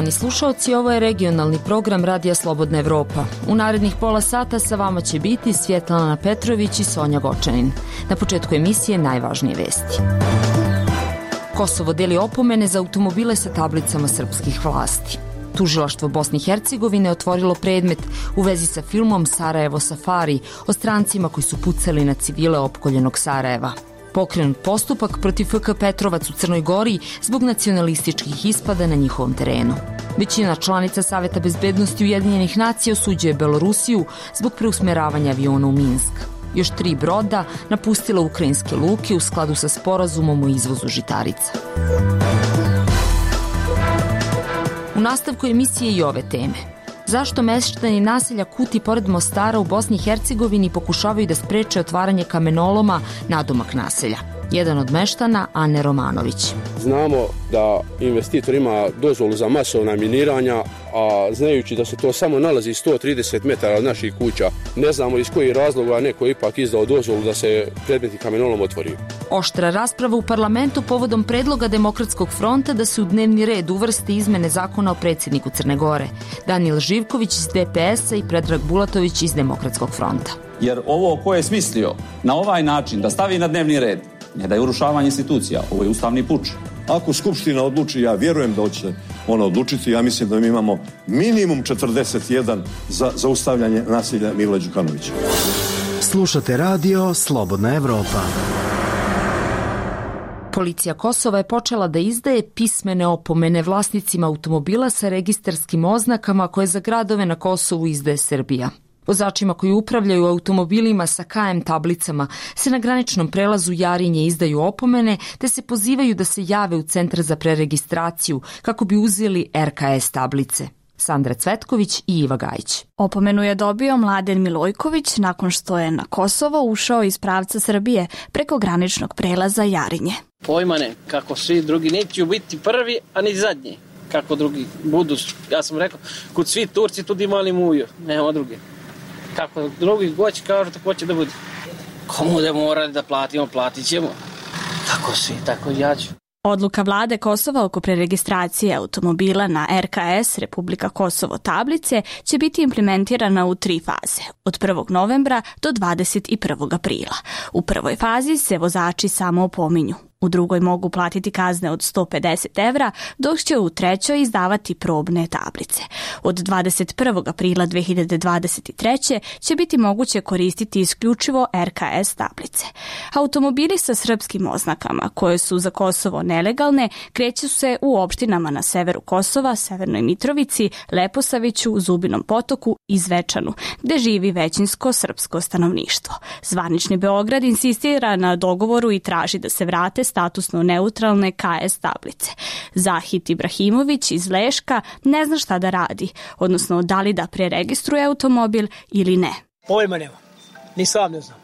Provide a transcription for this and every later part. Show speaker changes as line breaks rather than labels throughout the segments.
Poštovani slušaoci, ovo je regionalni program Radija Slobodna Evropa. U narednih pola sata sa vama će biti Svjetlana Petrović i Sonja Gočanin. Na početku emisije najvažnije vesti. Kosovo deli opomene za automobile sa tablicama srpskih vlasti. Tužilaštvo Bosne i Hercegovine otvorilo predmet u vezi sa filmom Sarajevo Safari o strancima koji su pucali na civile opkoljenog Sarajeva. Pokrenut postupak protiv FK Petrovac u Crnoj Gori zbog nacionalističkih ispada na njihovom terenu. Većina članica Saveta bezbednosti Ujedinjenih nacija osuđuje Belorusiju zbog preusmeravanja aviona u Minsk. Još 3 broda napustila ukrajinske luke u skladu sa sporazumom o izvozu žitarica. U nastavku emisije i ove teme. Zašto meštani naselja Kuti pored Mostara u Bosni i Hercegovini pokušavaju da spreče otvaranje kamenoloma nadomak naselja? Jedan od meštana, Ane Romanović.
Znamo da investitor ima dozvolu za masovna miniranja, a znajući da se to samo nalazi 130 metara od naših kuća, ne znamo iz kojih razloga neko ipak izdao dozvolu da se predmetni kamenolom otvori.
Oštra rasprava u parlamentu povodom predloga Demokratskog fronta da se u dnevni red uvrste izmene zakona o predsjedniku Crne Gore. Danijel Živković iz DPS-a i Predrag Bulatović iz Demokratskog fronta.
Jer ovo ko je smislio na ovaj način da stavi na dnevni red, ne da je urušavanje institucija, ovo je ustavni puč.
Ako Skupština odluči, ja vjerujem da će ona odlučiti, ja mislim da mi imamo minimum 41 za zaustavljanje nasilja Mila Đukanovića.
Slušate radio Slobodna Evropa.
Policija Kosova je počela da izdaje pismene opomene vlasnicima automobila sa registarskim oznakama koje za gradove na Kosovu izdaje Srbija. Vozačima koji upravljaju automobilima sa KM tablicama se na graničnom prelazu Jarinje izdaju opomene te se pozivaju da se jave u centar za preregistraciju kako bi uzeli RKS tablice. Sandra Cvetković i Iva Gajić.
Opomenu je dobio Mladen Milojković nakon što je na Kosovo ušao iz pravca Srbije preko graničnog prelaza Jarinje.
Pojma ne, kako svi drugi neće biti prvi, a ni zadnji. Kako drugi budu, ja sam rekao, kod svi Turci tudi imali muju, nema druge. Kako drugi goći kažu, tako će da bude. Komu da morali da platimo, platit ćemo. Tako svi, tako i ja ću.
Odluka vlade Kosova oko preregistracije automobila na RKS Republika Kosovo tablice će biti implementirana u 3 faze, od 1. novembra do 21. aprila. U prvoj fazi se vozači samo opominju. U drugoj mogu platiti kazne od 150 evra, dok će u trećoj izdavati probne tablice. Od 21. aprila 2023. će biti moguće koristiti isključivo RKS tablice. Automobili sa srpskim oznakama, koje su za Kosovo nelegalne, kreću se u opštinama na severu Kosova, Severnoj Mitrovici, Leposaviću, Zubinom Potoku i Zvečanu, gde živi većinsko srpsko stanovništvo. Zvanični Beograd insistira na dogovoru i traži da se vrate statusno neutralne KS tablice. Zahit Ibrahimović iz Leška ne zna šta da radi, odnosno da li da preregistruje automobil ili ne.
Pojma nema, ni sam ne znam.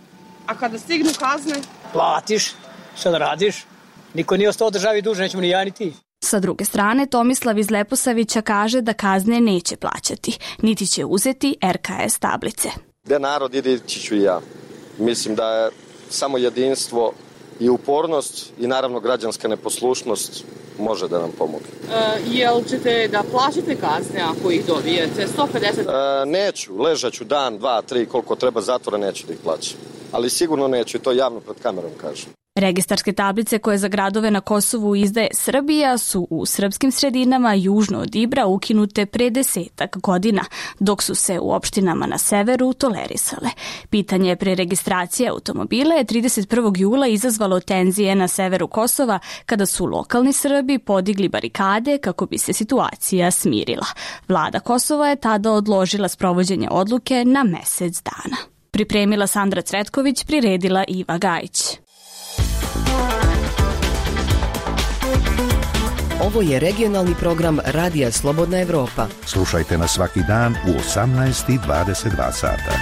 A kada stignu kazne?
Platiš, šta da radiš? Niko nije ostao državi duže, nećemo ni ja ni ti.
Sa druge strane, Tomislav iz Leposavića kaže da kazne neće plaćati, niti će uzeti RKS tablice.
Gde narod ide, ići ću i ja. Mislim da je samo jedinstvo i upornost i naravno građanska neposlušnost može da nam pomogne.
Jel ćete da plaćate kazne ako ih dobijete? 150?
Neću, ležaću dan, 2, 3, koliko treba zatvora, neću da ih plaćam. Ali sigurno neću i to javno pred kamerom kažem.
Registarske tablice koje za gradove na Kosovu izdaje Srbija su u srpskim sredinama južno od Ibra ukinute pre 10 godina, dok su se u opštinama na severu tolerisale. Pitanje preregistracije automobila je 31. jula izazvalo tenzije na severu Kosova kada su lokalni Srbi podigli barikade kako bi se situacija smirila. Vlada Kosova je tada odložila sprovođenje odluke na mesec dana. Pripremila Sandra Cvetković, priredila Iva Gajić.
Ovo je regionalni program Radija Slobodna Evropa.
Slušajte nas svaki dan u 18:22 sata.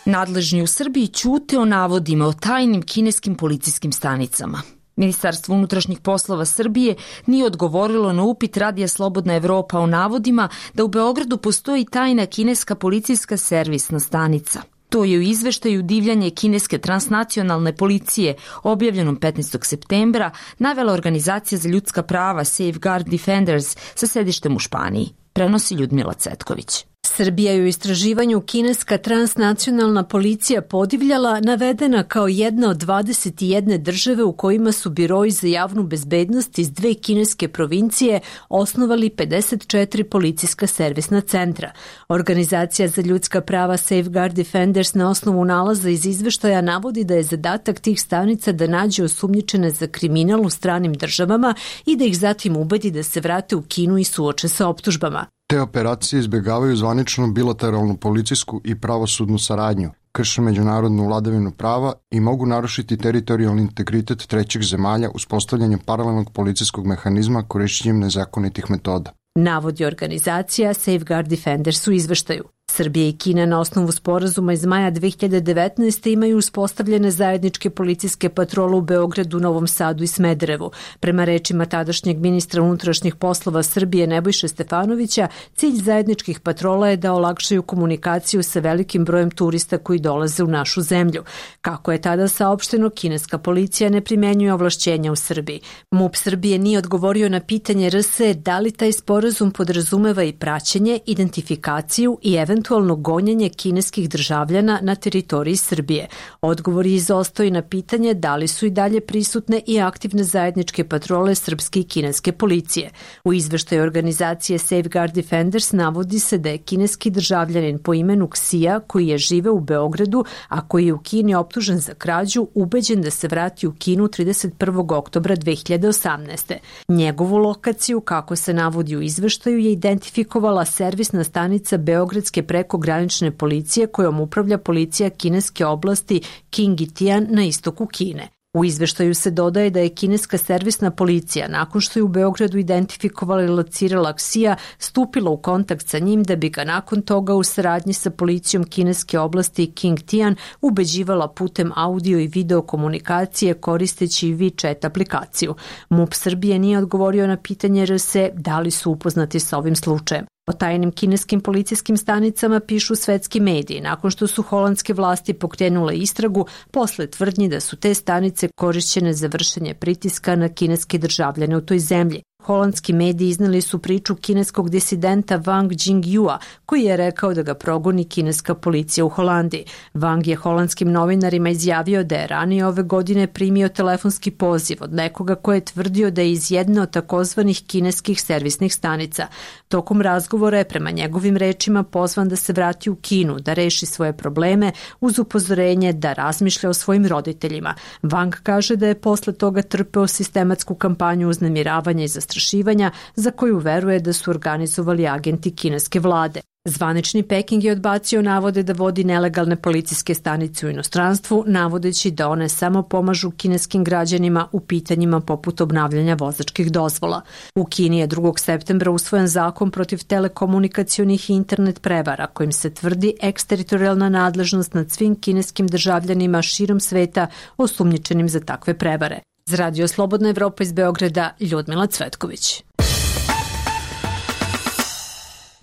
Nadležni u Srbiji ćute o navodima o tajnim kineskim policijskim stanicama. Ministarstvo unutrašnjih poslova Srbije nije odgovorilo na upit Radija Slobodna Evropa o navodima da u Beogradu postoji tajna kineska policijska servisna stanica. To je u izveštaju divljanje kineske transnacionalne policije, objavljenom 15. septembra, navela organizacija za ljudska prava Safeguard Defenders sa sedištem u Španiji. Prenosi Ljudmila Cetković.
Srbija je u istraživanju kineska transnacionalna policija podivljala navedena kao jedna od 21 države u kojima su biroji za javnu bezbednost iz 2 kineske provincije osnovali 54 policijska servisna centra. Organizacija za ljudska prava Safeguard Defenders na osnovu nalaza iz izveštaja navodi da je zadatak tih stanica da nađe osumnjičene za kriminal u stranim državama i da ih zatim ubedi da se vrate u Kinu i suoče sa optužbama.
Te operacije izbjegavaju zvaničnu bilateralnu policijsku i pravosudnu saradnju, krše međunarodnu vladavinu prava i mogu narušiti teritorijalni integritet trećih zemalja uspostavljanjem paralelnog policijskog mehanizma korišćenjem nezakonitih metoda.
Navodi organizacija Safeguard Defenders u izveštaju. Srbija i Kina na osnovu sporazuma iz maja 2019. imaju uspostavljene zajedničke policijske patrole u Beogradu, Novom Sadu i Smederevu. Prema rečima tadašnjeg ministra unutrašnjih poslova Srbije Nebojše Stefanovića, cilj zajedničkih patrola je da olakšaju komunikaciju sa velikim brojem turista koji dolaze u našu zemlju. Kako je tada saopšteno, kineska policija ne primenjuje ovlašćenja u Srbiji. MUP Srbije nije odgovorio na pitanje RS da li taj sporazum podrazumeva i praćenje, identifikaciju i eventualno gonjenje kineskih državljana na teritoriji Srbije. Odgovor je izostao i na pitanje da li su i dalje prisutne i aktivne zajedničke patrole srpske i kineske policije. U izveštaju organizacije Safeguard Defenders navodi se da je kineski državljanin po imenu Ksija, koji je žive u Beogradu, a koji je u Kini optužen za krađu, ubeđen da se vrati u Kinu 31. oktobra 2018. Njegovu lokaciju, kako se navodi u izveštaju, je identifikovala servisna stanica Beogradske prekogranične policije kojom upravlja policija kineske oblasti Qingytian na istoku Kine. U izveštaju se dodaje da je kineska servisna policija, nakon što je u Beogradu identifikovala i locirala Ksija, stupila u kontakt sa njim da bi ga nakon toga u saradnji sa policijom kineske oblasti Qingytian ubeđivala putem audio i video komunikacije koristeći WeChat aplikaciju. MUP Srbije nije odgovorio na pitanje RS da li su upoznati sa ovim slučajem. O tajnim kineskim policijskim stanicama pišu svetski mediji nakon što su holandske vlasti pokrenule istragu posle tvrdnji da su te stanice korišćene za vršenje pritiska na kineske državljane u toj zemlji. Holandski mediji izneli su priču kineskog disidenta Wang Jingyua, koji je rekao da ga progoni kineska policija u Holandiji. Wang je holandskim novinarima izjavio da je ranije ove godine primio telefonski poziv od nekoga ko je tvrdio da je iz jedne od takozvanih kineskih servisnih stanica. Tokom razgovora je prema njegovim rečima pozvan da se vrati u Kinu, da reši svoje probleme uz upozorenje da razmišlja o svojim roditeljima. Wang kaže da je posle toga trpeo sistematsku kampanju uznemiravanja i zastrašivanja za koju veruje da su organizovali agenti kineske vlade. Zvanični Peking je odbacio navode da vodi nelegalne policijske stanice u inostranstvu, navodeći da one samo pomažu kineskim građanima u pitanjima poput obnavljanja vozačkih dozvola. U Kini je 2. septembra usvojen zakon protiv telekomunikacionih i internet prevara, kojim se tvrdi eksteritorijalna nadležnost nad svim kineskim državljanima širom sveta osumnjičenim za takve prevare. Za Radio Slobodna Evropa iz Beograda, Ljudmila Cvetković.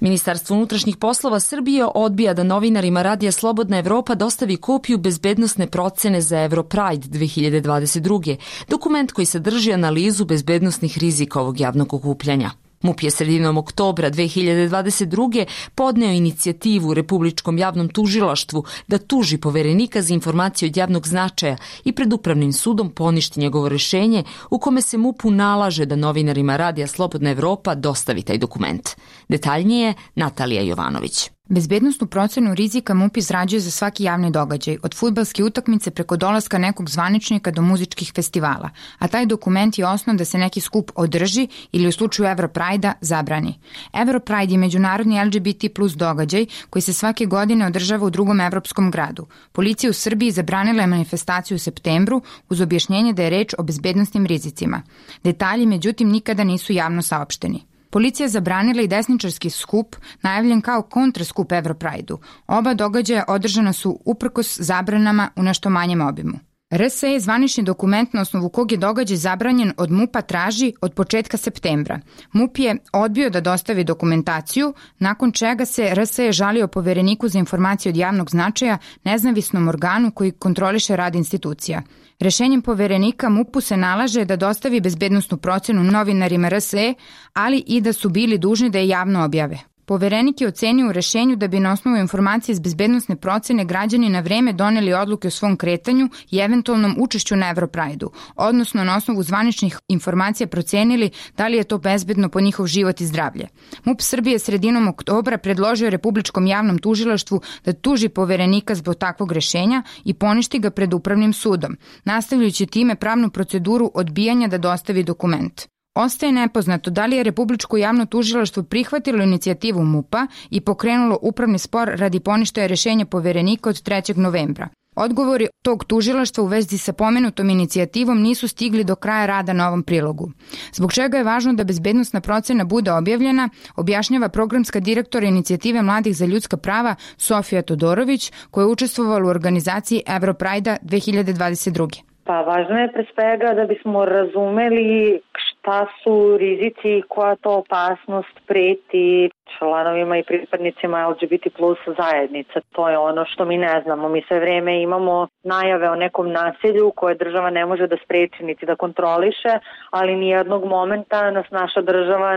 Ministarstvo unutrašnjih poslova Srbije odbija da novinarima Radija Slobodna Evropa dostavi kopiju bezbednosne procene za Europride 2022. Dokument koji sadrži analizu bezbednosnih rizika ovog javnog okupljanja. MUP je sredinom oktobra 2022. podneo inicijativu Republičkom javnom tužilaštvu da tuži poverenika za informacije od javnog značaja i pred Upravnim sudom poništi njegovo rešenje u kome se MUP-u nalaže da novinarima Radija Slobodna Evropa dostavi taj dokument. Detaljnije Natalija Jovanović.
Bezbednosnu procenu rizika MUP izrađuje za svaki javni događaj, od fudbalske utakmice preko dolaska nekog zvaničnika do muzičkih festivala, a taj dokument je osnov da se neki skup održi ili u slučaju Europride-a zabrani. Europride je međunarodni LGBT plus događaj koji se svake godine održava u drugom evropskom gradu. Policija u Srbiji zabranila je manifestaciju u septembru uz objašnjenje da je reč o bezbednosnim rizicima. Detalji, međutim, nikada nisu javno saopšteni. Policija zabranila i desničarski skup, najavljen kao kontraskup Europride-u. Oba događaja održana su uprkos zabranama u nešto manjem obimu. RSE je zvanični dokument na osnovu kog je događaj zabranjen od MUP-a traži od početka septembra. MUP je odbio da dostavi dokumentaciju, nakon čega se RSE žalio Povereniku za informacije od javnog značaja, nezavisnom organu koji kontroliše rad institucija. Rešenjem Poverenika MUP-u se nalaže da dostavi bezbednosnu procenu novinarima RSE, ali i da su bili dužni da je javno objave. Poverenik je ocenio u rešenju da bi na osnovu informacije iz bezbednosne procene građani na vreme doneli odluke o svom kretanju i eventualnom učešću na Evroprajdu, odnosno na osnovu zvaničnih informacija procenili da li je to bezbedno po njihov život i zdravlje. MUP Srbije sredinom oktobra predložio Republičkom javnom tužilaštvu da tuži Poverenika zbog takvog rešenja i poništi ga pred Upravnim sudom, nastavljajući time pravnu proceduru odbijanja da dostavi dokument. Ostaje nepoznato da li je Republičko javno tužilaštvo prihvatilo inicijativu MUP-a i pokrenulo upravni spor radi poništaja rešenja Poverenika od 3. novembra. Odgovori tog tužilaštva u vezi sa pomenutom inicijativom nisu stigli do kraja rada na ovom prilogu. Zbog čega je važno da bezbednosna procena bude objavljena, objašnjava programska direktora inicijative Mladih za ljudska prava Sofija Todorović, koja je učestvovala u organizaciji Evroprajda 2022.
Pa važno je pre svega da bismo razumeli šta su rizici i koja to opasnost preti članovima i pripadnicima LGBT plus zajednice. To je ono što mi ne znamo. Mi sve vreme imamo najave o nekom nasilju koje država ne može da spreči niti da kontroliše, ali nijednog momenta nas naša država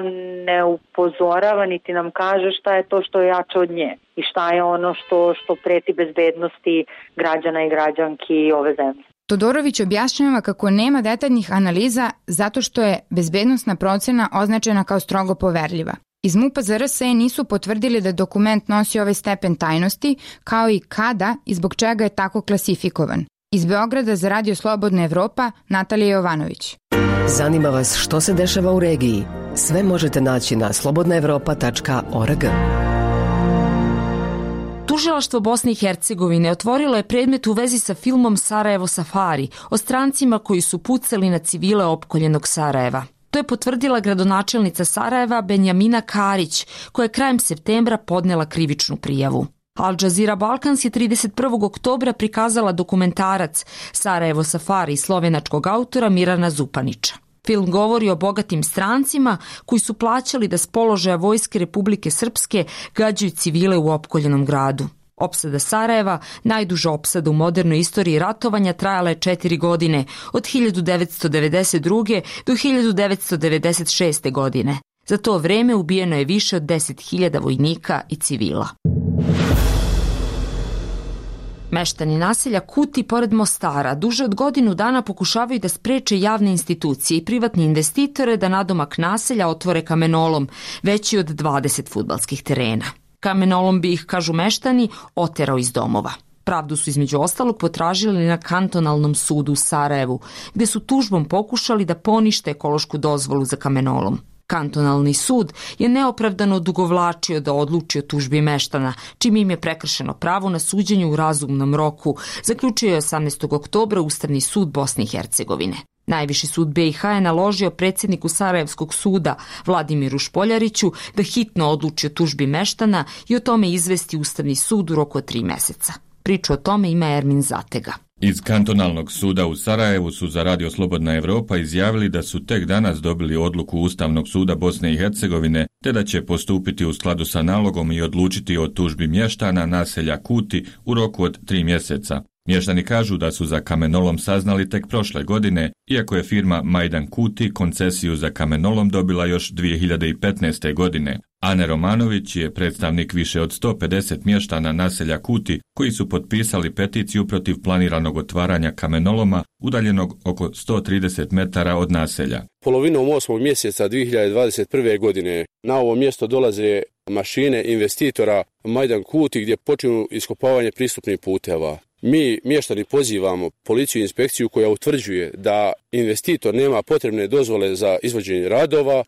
ne upozorava niti nam kaže šta je to što je jače od nje i šta je ono što preti bezbednosti građana i građanki ove zemlje.
Todorović objašnjava kako nema detaljnih analiza zato što je bezbednosna procena označena kao strogo poverljiva. Iz MUP-a za RSE nisu potvrdili da dokument nosi ovaj stepen tajnosti, kao i kada i zbog čega je tako klasifikovan. Iz Beograda za Radio Slobodna Evropa, Natalija Jovanović.
Zanima vas što se dešava u regiji? Sve možete naći na slobodnaevropa.org.
Tužilaštvo Bosne i Hercegovine otvorilo je predmet u vezi sa filmom Sarajevo Safari o strancima koji su pucali na civile opkoljenog Sarajeva. To je potvrdila gradonačelnica Sarajeva Benjamina Karić, koja je krajem septembra podnela krivičnu prijavu. Al Jazeera Balkans je 31. oktobra prikazala dokumentarac Sarajevo Safari slovenačkog autora Mirana Zupanića. Film govori o bogatim strancima koji su plaćali da s položaja Vojske Republike Srpske gađaju civile u opkoljenom gradu. Opsada Sarajeva, najduža opsada u modernoj istoriji ratovanja, trajala je 4 godine, od 1992. do 1996. godine. Za to vreme ubijeno je više od 10.000 vojnika i civila. Meštani naselja Kuti pored Mostara duže od godinu dana pokušavaju da spreče javne institucije i privatni investitore da nadomak naselja otvore kamenolom, veći od 20 fudbalskih terena. Kamenolom bi ih, kažu meštani, oterao iz domova. Pravdu su između ostalog potražili na kantonalnom sudu u Sarajevu, gde su tužbom pokušali da ponište ekološku dozvolu za kamenolom. Kantonalni sud je neopravdano odugovlačio da odluči o tužbi meštana, čim im je prekršeno pravo na suđenje u razumnom roku, zaključio je 18. oktobra Ustavni sud Bosne i Hercegovine. Najviši sud BiH je naložio predsjedniku Sarajevskog suda Vladimiru Špoljariću da hitno odluči o tužbi meštana i o tome izvesti Ustavni sud u roku od 3 meseca. Priču o tome ima Ermin Zatega.
Iz kantonalnog suda u Sarajevu su za Radio Slobodna Evropa izjavili da su tek danas dobili odluku Ustavnog suda Bosne i Hercegovine, te da će postupiti u skladu sa nalogom i odlučiti o tužbi mještana naselja Kuti u roku od 3 mjeseca. Mještani kažu da su za kamenolom saznali tek prošle godine, iako je firma Majdan Kuti koncesiju za kamenolom dobila još 2015. godine. Ane Romanović je predstavnik više od 150 mještana naselja Kuti koji su potpisali peticiju protiv planiranog otvaranja kamenoloma udaljenog oko 130 metara od naselja.
Polovinom 8. mjeseca 2021. godine na ovo mjesto dolaze mašine investitora Majdan Kuti gdje počinju iskopavanje pristupnih puteva. Mi, mještani, pozivamo policiju i inspekciju koja utvrđuje da investitor nema potrebne dozvole za izvođenje radova,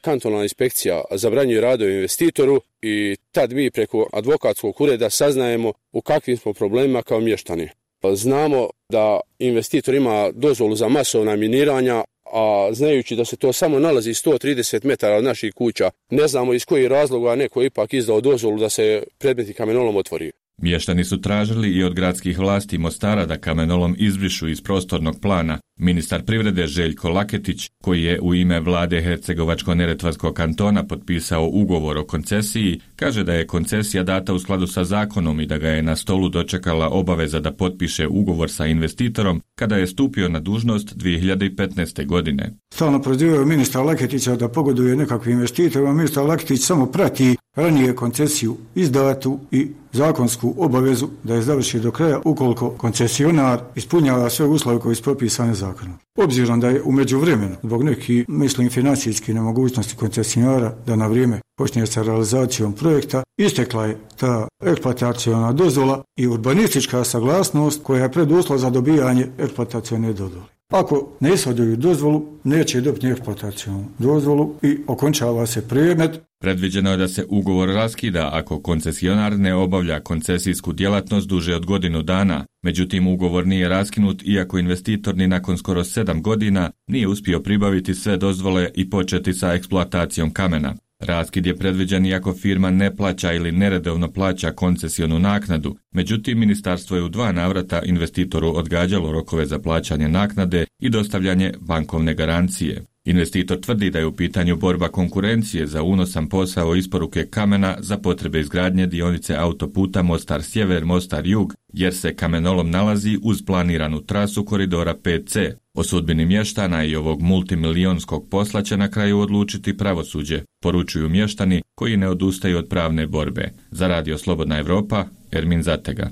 kantonalna inspekcija zabranjuje radove investitoru i tad mi preko advokatskog ureda saznajemo u kakvim smo problemima kao mještani. Znamo da investitor ima dozvolu za masovna miniranja, a znajući da se to samo nalazi 130 metara od naših kuća, ne znamo iz kojih razloga neko ipak izdao dozvolu da se predmeti kamenolom otvori.
Mještani su tražili i od gradskih vlasti Mostara da kamenolom izbrišu iz prostornog plana. Ministar privrede Željko Laketić, koji je u ime vlade Hercegovačko-neretvanskog kantona potpisao ugovor o koncesiji, kaže da je koncesija data u skladu sa zakonom i da ga je na stolu dočekala obaveza da potpiše ugovor sa investitorom kada je stupio na dužnost 2015. godine.
Stalno prozivaju ministra Laketića da pogoduje nekakvim investitorima. Ministar Laketić samo prati ranije koncesiju izdatu i zakonsku obavezu da je završi do kraja ukoliko koncesionar ispunjava sve uslove koji su propisane zakonom. Obzirom da je u međuvremenu zbog nekih, mislim, financijskih nemogućnosti koncesionara da na vrijeme počne sa realizacijom projekta, istekla je ta eksploataciona dozvola i urbanistička saglasnost koja je preduslov za dobijanje eksploatacione dozvole. Ako ne ishoduju dozvolu, neće dobiti eksploatacionu dozvolu i okončava se predmet.
Predviđeno je da se ugovor raskida ako koncesionar ne obavlja koncesijsku djelatnost duže od godinu dana. Međutim, ugovor nije raskinut iako investitor ni nakon skoro 7 godina nije uspio pribaviti sve dozvole i početi sa eksploatacijom kamena. Raskid je predviđen iako firma ne plaća ili neredovno plaća koncesionu naknadu. Međutim, ministarstvo je u 2 navrata investitoru odgađalo rokove za plaćanje naknade i dostavljanje bankovne garancije. Investitor tvrdi da je u pitanju borba konkurencije za unosan posao isporuke kamena za potrebe izgradnje dionice autoputa Mostar Sjever, Mostar Jug, jer se kamenolom nalazi uz planiranu trasu koridora 5C. O sudbini mještana i ovog multimilijonskog posla će na kraju odlučiti pravosuđe, poručuju mještani koji ne odustaju od pravne borbe. Za Radio Slobodna Evropa, Ermin Zatega.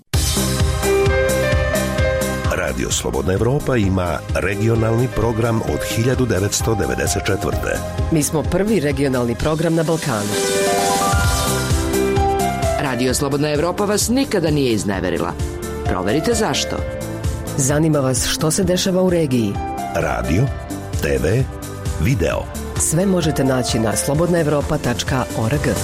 Radio Slobodna Evropa ima regionalni program od 1994.
Mi smo prvi regionalni program na Balkanu.
Radio Slobodna Evropa vas nikada nije izneverila. Proverite zašto.
Zanima vas što se dešava u regiji.
Radio, TV, video.
Sve možete naći na slobodnaevropa.org.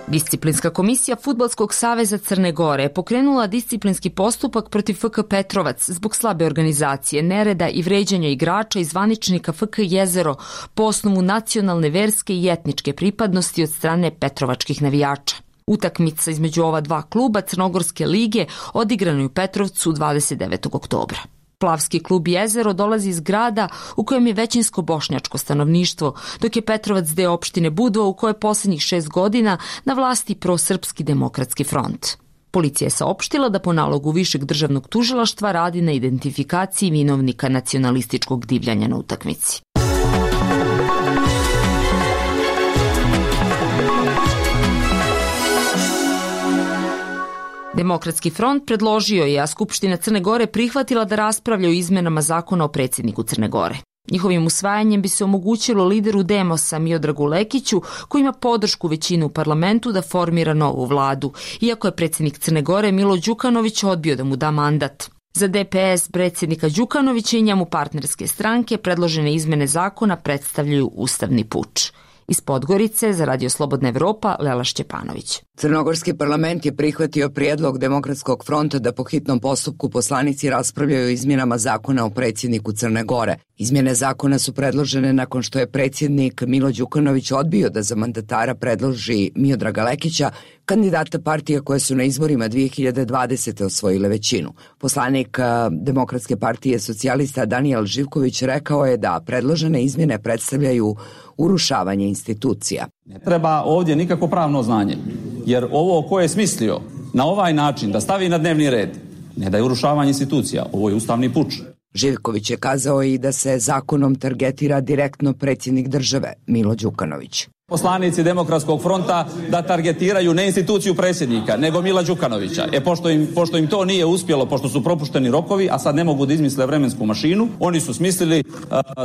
Disciplinska komisija Fudbalskog saveza Crne Gore je pokrenula disciplinski postupak protiv FK Petrovac zbog slabe organizacije, nereda i vređanja igrača i zvaničnika FK Jezero po osnovu nacionalne, verske i etničke pripadnosti od strane petrovačkih navijača. Utakmica između ova 2 kluba Crnogorske lige odigrana je u Petrovcu 29. oktobra. Plavski klub Jezero dolazi iz grada u kojem je većinsko bošnjačko stanovništvo, dok je Petrovac deo opštine Budva u kojoj je posljednjih 6 godina na vlasti prosrpski demokratski front. Policija je saopštila da po nalogu Višeg državnog tužilaštva radi na identifikaciji vinovnika nacionalističkog divljanja na utakmici. Demokratski front predložio je, a Skupština Crne Gore prihvatila da raspravlja o izmenama zakona o predsjedniku Crne Gore. Njihovim usvajanjem bi se omogućilo lideru Demosa Miodragu Lekiću, koji ima podršku većine u parlamentu, da formira novu vladu, iako je predsjednik Crne Gore Milo Đukanović odbio da mu da mandat. Za DPS predsjednika Đukanovića i njemu partnerske stranke predložene izmene zakona predstavljaju ustavni puč. Iz Podgorice za Radio Slobodna Evropa, Lela Šćepanović.
Crnogorski parlament je prihvatio prijedlog Demokratskog fronta da po hitnom postupku poslanici raspravljaju o izmjenama zakona o predsjedniku Crne Gore. Izmjene zakona su predložene nakon što je predsjednik Milo Đukanović odbio da za mandatara predloži Miodraga Lekića, kandidata partija koje su na izborima 2020. osvojile većinu. Poslanik Demokratske partije socijalista Danijel Živković rekao je da predložene izmjene predstavljaju urušavanje institucija.
Ne treba ovdje nikako pravno znanje, jer ovo ko je smislio na ovaj način da stavi na dnevni red, ne da je urušavanje institucija, ovo je ustavni puč.
Živković je kazao i da se zakonom targetira direktno predsjednik države, Milo Đukanović.
Poslanici Demokratskog fronta da targetiraju ne instituciju predsjednika, nego Mila Đukanovića. Pošto im to nije uspjelo, pošto su propušteni rokovi, a sad ne mogu da izmisle vremensku mašinu, oni su smislili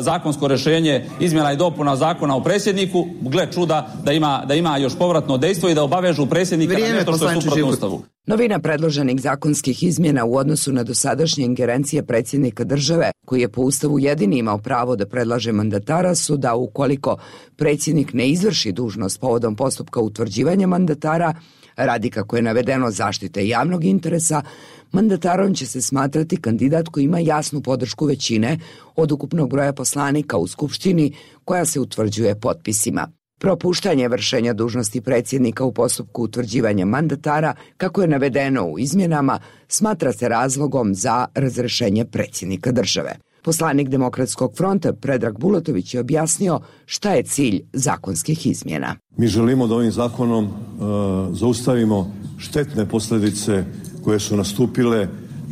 zakonsko rješenje izmjena i dopuna zakona o predsjedniku, gle čuda da ima još povratno dejstvo i da obavežu predsjednika na nešto što je suprotno Ustavu.
Novina predloženih zakonskih izmjena u odnosu na dosadašnje ingerencije predsjednika države, koji je po Ustavu jedini imao pravo da predlaže mandatara, su da ukoliko predsjednik ne izvrši dužnost povodom postupka utvrđivanja mandatara, radi kako je navedeno zaštite javnog interesa, mandatarom će se smatrati kandidat koji ima jasnu podršku većine od ukupnog broja poslanika u Skupštini koja se utvrđuje potpisima. Propuštanje vršenja dužnosti predsjednika u postupku utvrđivanja mandatara, kako je navedeno u izmjenama, smatra se razlogom za razrešenje predsjednika države. Poslanik Demokratskog fronta Predrag Bulatović je objasnio šta je cilj zakonskih izmjena.
Mi želimo da ovim zakonom zaustavimo štetne posljedice koje su nastupile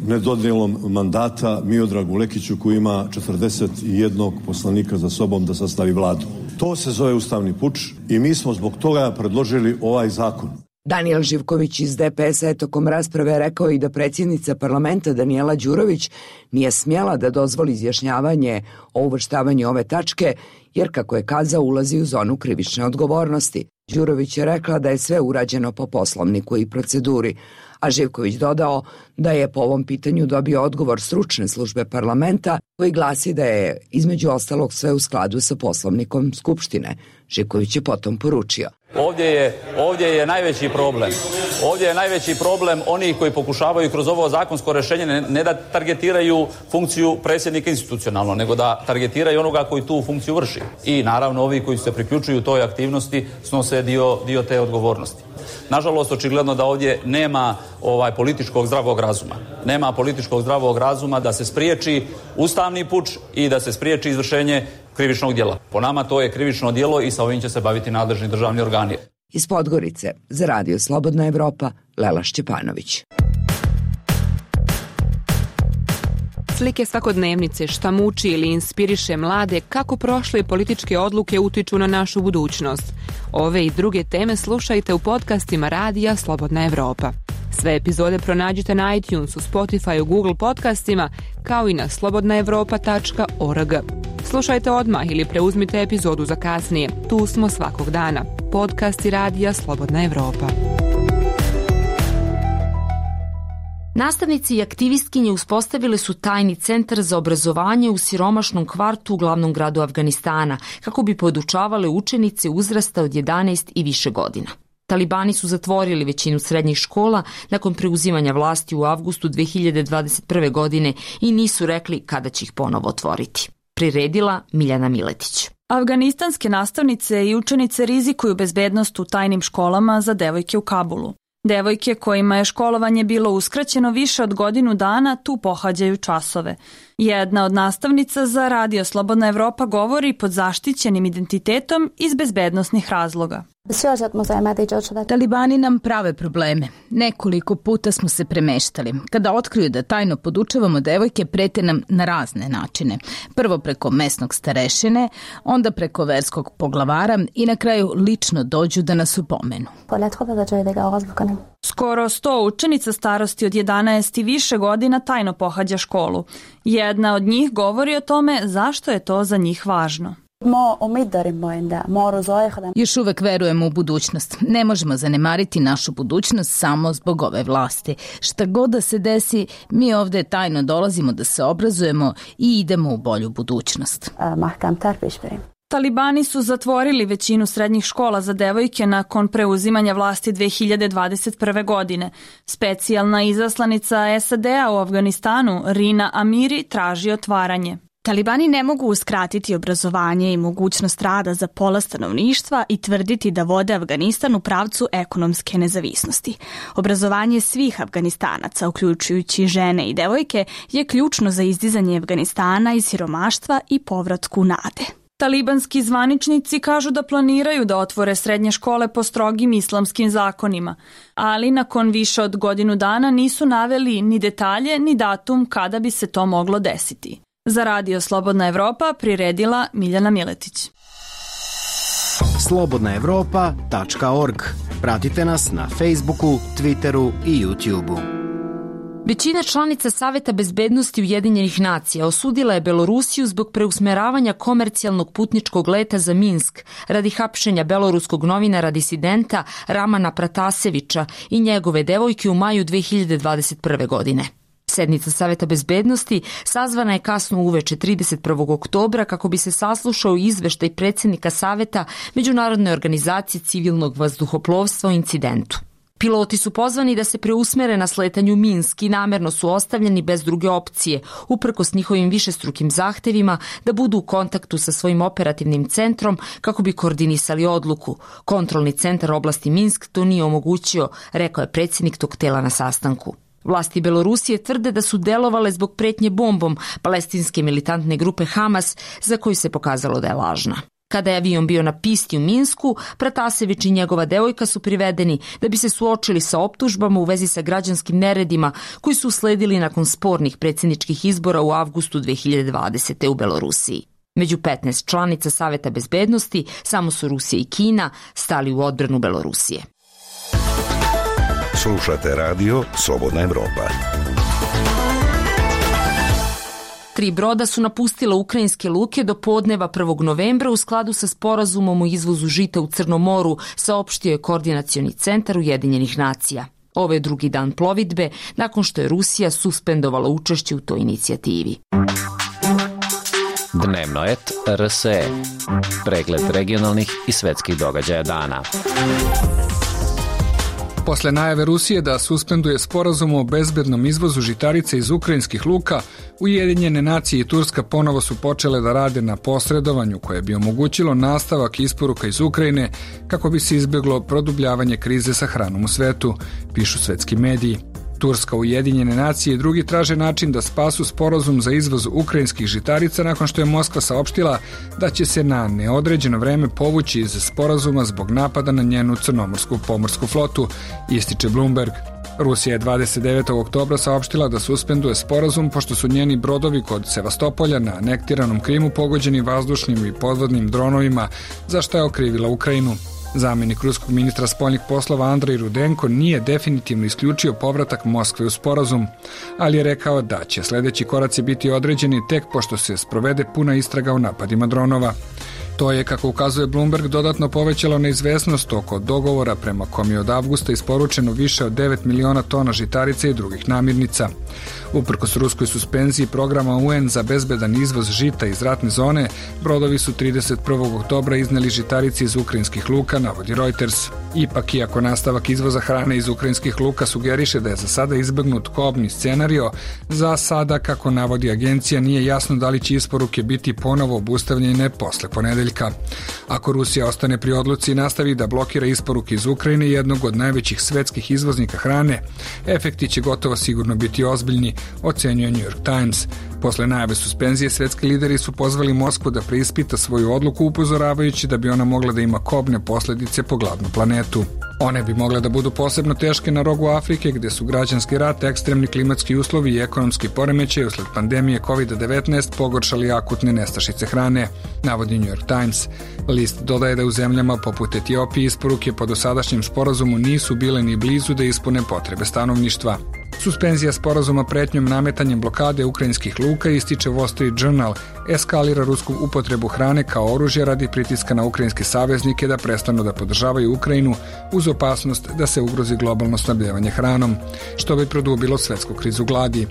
nedodjelom mandata Miodragu Lekiću koji ima 41 poslanika za sobom da sastavi vladu. To se zove ustavni puč i mi smo zbog toga predložili ovaj zakon.
Danijel Živković iz DPS-a je tokom rasprave rekao i da predsjednica parlamenta Danijela Đurović nije smjela da dozvoli izjašnjavanje o uvrštavanju ove tačke, jer kako je kazao ulazi u zonu krivične odgovornosti. Đurović je rekla da je sve urađeno po poslovniku i proceduri, a Živković dodao da je po ovom pitanju dobio odgovor stručne službe parlamenta koji glasi da je između ostalog sve u skladu sa poslovnikom Skupštine. Živković je potom poručio:
Ovdje je najveći problem. Ovdje je najveći problem onih koji pokušavaju kroz ovo zakonsko rješenje ne da targetiraju funkciju predsjednika institucionalno, nego da targetiraju onoga koji tu funkciju vrši. I naravno ovi koji se priključuju toj aktivnosti snose dio te odgovornosti. Nažalost, očigledno da ovdje nema političkog zdravog razuma. Nema političkog zdravog razuma da se spriječi ustavni puč i da se spriječi izvršenje krivičnog djela. Po nama to je krivično djelo i sa ovim će se baviti nadležni državni organi.
Iz Podgorice za Radio Slobodna Evropa, Lela Šćepanović.
Slike svakodnevnice, šta muči ili inspiriše mlade, kako prošle političke odluke utiču na našu budućnost. Ove i druge teme slušajte u podcastima Radija Slobodna Evropa. Sve epizode pronađite na iTunesu, Spotifyu, Google podcastima, kao i na slobodnaevropa.org. Slušajte odmah ili preuzmite epizodu za kasnije. Tu smo svakog dana. Podcasti Radija Slobodna Evropa.
Nastavnici i aktivistkinje uspostavili su tajni centar za obrazovanje u siromašnom kvartu u glavnom gradu Afganistana, kako bi podučavale učenice uzrasta od 11 i više godina. Talibani su zatvorili većinu srednjih škola nakon preuzimanja vlasti u avgustu 2021. godine i nisu rekli kada će ih ponovo otvoriti. Priredila Miljana Miletić.
Afganistanske nastavnice i učenice rizikuju bezbednost u tajnim školama za devojke u Kabulu. Devojke kojima je školovanje bilo uskraćeno više od godinu dana tu pohađaju časove. Jedna od nastavnica za Radio Slobodna Evropa govori pod zaštićenim identitetom iz bezbednosnih razloga.
Talibani nam prave probleme. Nekoliko puta smo se premeštali. Kada otkriju da tajno podučavamo devojke, prete nam na razne načine. Prvo preko mesnog starešine, onda preko verskog poglavara i na kraju lično dođu da nas upomenu.
Skoro 100 učenica starosti od 11 i više godina tajno pohađa školu. Jedna od njih govori o tome zašto je to za njih važno.
Još uvek verujemo u budućnost. Ne možemo zanemariti našu budućnost samo zbog ove vlasti. Šta god da se desi, mi ovdje tajno dolazimo da se obrazujemo i idemo u bolju budućnost.
Talibani su zatvorili većinu srednjih škola za devojke nakon preuzimanja vlasti 2021. godine. Specijalna izaslanica SAD-a u Afganistanu, Rina Amiri, traži otvaranje.
Talibani ne mogu uskratiti obrazovanje i mogućnost rada za pola stanovništva i tvrditi da vode Afganistan u pravcu ekonomske nezavisnosti. Obrazovanje svih Afganistanaca, uključujući žene i devojke, je ključno za izdizanje Afganistana iz siromaštva i povratku nade.
Talibanski zvaničnici kažu da planiraju da otvore srednje škole po strogim islamskim zakonima, ali nakon više od godinu dana nisu naveli ni detalje ni datum kada bi se to moglo desiti. Za Radio Slobodna Evropa priredila Miljana Miletić.
slobodnaevropa.org. Pratite nas na Facebooku, Twitteru i YouTubeu.
Većina članica Saveta bezbednosti Ujedinjenih nacija osudila je Belorusiju zbog preusmeravanja komercijalnog putničkog leta za Minsk radi hapšenja beloruskog novinara disidenta Ramana Pratasevića i njegove devojke u maju 2021. godine. Sednica Saveta bezbednosti sazvana je kasno uveče 31. oktobra kako bi se saslušao izveštaj predsjednika Saveta Međunarodne organizacije civilnog vazduhoplovstva o incidentu. Piloti su pozvani da se preusmere na sletanju Minsk i namerno su ostavljeni bez druge opcije, uprkos njihovim višestrukim zahtevima da budu u kontaktu sa svojim operativnim centrom kako bi koordinisali odluku. Kontrolni centar oblasti Minsk to nije omogućio, rekao je predsjednik tog tela na sastanku. Vlasti Belorusije tvrde da su delovale zbog pretnje bombom palestinske militantne grupe Hamas, za koju se pokazalo da je lažna. Kada je avion bio na pisti u Minsku, Pratasević i njegova devojka su privedeni da bi se suočili sa optužbama u vezi sa građanskim neredima koji su usledili nakon spornih predsjedničkih izbora u avgustu 2020. u Belorusiji. Među 15 članica Saveta bezbednosti samo su Rusija i Kina stali u odbranu Belorusije.
Slušate radio Slobodna Evropa.
3 broda su napustila ukrajinske luke do podneva 1. novembra u skladu sa sporazumom o izvozu žita u Crnom moru, saopštio je Koordinacioni centar Ujedinjenih nacija. Ovo je drugi dan plovidbe nakon što je Rusija suspendovala učešće u toj inicijativi.
Dnevno et RSE. Pregled regionalnih i svetskih događaja dana.
Posle najave Rusije da suspenduje sporazum o bezbednom izvozu žitarica iz ukrajinskih luka, Ujedinjene nacije i Turska ponovo su počele da rade na posredovanju koje bi omogućilo nastavak isporuka iz Ukrajine kako bi se izbjeglo produbljavanje krize sa hranom u svetu, pišu svetski mediji. Turska, Ujedinjene nacije i drugi traže način da spasu sporazum za izvoz ukrajinskih žitarica nakon što je Moskva saopštila da će se na neodređeno vreme povući iz sporazuma zbog napada na njenu crnomorsku pomorsku flotu, ističe Bloomberg. Rusija je 29. oktobra saopštila da suspenduje sporazum pošto su njeni brodovi kod Sevastopolja na anektiranom Krimu pogođeni vazdušnim i podvodnim dronovima, za što je okrivila Ukrajinu. Zamenik ruskog ministra spoljnih poslova Andrej Rudenko nije definitivno isključio povratak Moskve u sporazum, ali je rekao da će sledeći koraci biti određeni tek pošto se sprovede puna istraga o napadima dronova. To je, kako ukazuje Bloomberg, dodatno povećalo neizvesnost oko dogovora prema kom je od avgusta isporučeno više od 9 miliona tona žitarica i drugih namirnica. Uprkos ruskoj suspenziji programa UN za bezbedan izvoz žita iz ratne zone, brodovi su 31. oktobra izneli žitarice iz ukrajinskih luka, navodi Reuters. Ipak, iako nastavak izvoza hrane iz ukrajinskih luka sugeriše da je za sada izbegnut kobni scenario, za sada, kako navodi agencija, nije jasno da li će isporuke biti ponovo obustavljene posle ponedeljka. Ako Rusija ostane pri odluci i nastavi da blokira isporuke iz Ukrajine, jednog od najvećih svetskih izvoznika hrane, efekti će gotovo sigurno biti ozbiljni, ocenjuje New York Times. Posle najave suspenzije, svetski lideri su pozvali Moskvu da preispita svoju odluku, upozoravajući da bi ona mogla da ima kobne posledice po glavnu planetu. One bi mogle da budu posebno teške na rogu Afrike, gde su građanski rat, ekstremni klimatski uslovi i ekonomski poremećaj usled pandemije COVID-19 pogoršali akutne nestašice hrane, navodi New York Times. List dodaje da u zemljama poput Etiopije isporuke po dosadašnjem sporazumu nisu bile ni blizu da ispune potrebe stanovništva. Suspenzija sporazuma pretnjom nametanjem blokade ukrajinskih luka, ističe Wall Street Journal, eskalira rusku upotrebu hrane kao oružje radi pritiska na ukrajinske saveznike da prestanu da podržavaju Ukrajinu uz opasnost da se ugrozi globalno snabdevanje hranom, što bi produbilo svetsku krizu gladi.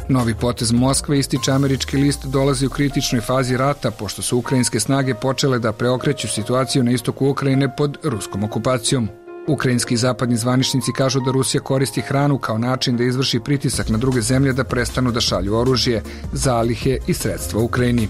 Novi potez Moskve, ističe američki list, dolazi u kritičnoj fazi rata pošto su ukrajinske snage počele da preokreću situaciju na istoku Ukrajine pod ruskom okupacijom. Ukrajinski i zapadni zvaničnici kažu da Rusija koristi hranu kao način da izvrši pritisak na druge zemlje da prestanu da šalju oružje, zalihe i sredstva Ukrajini.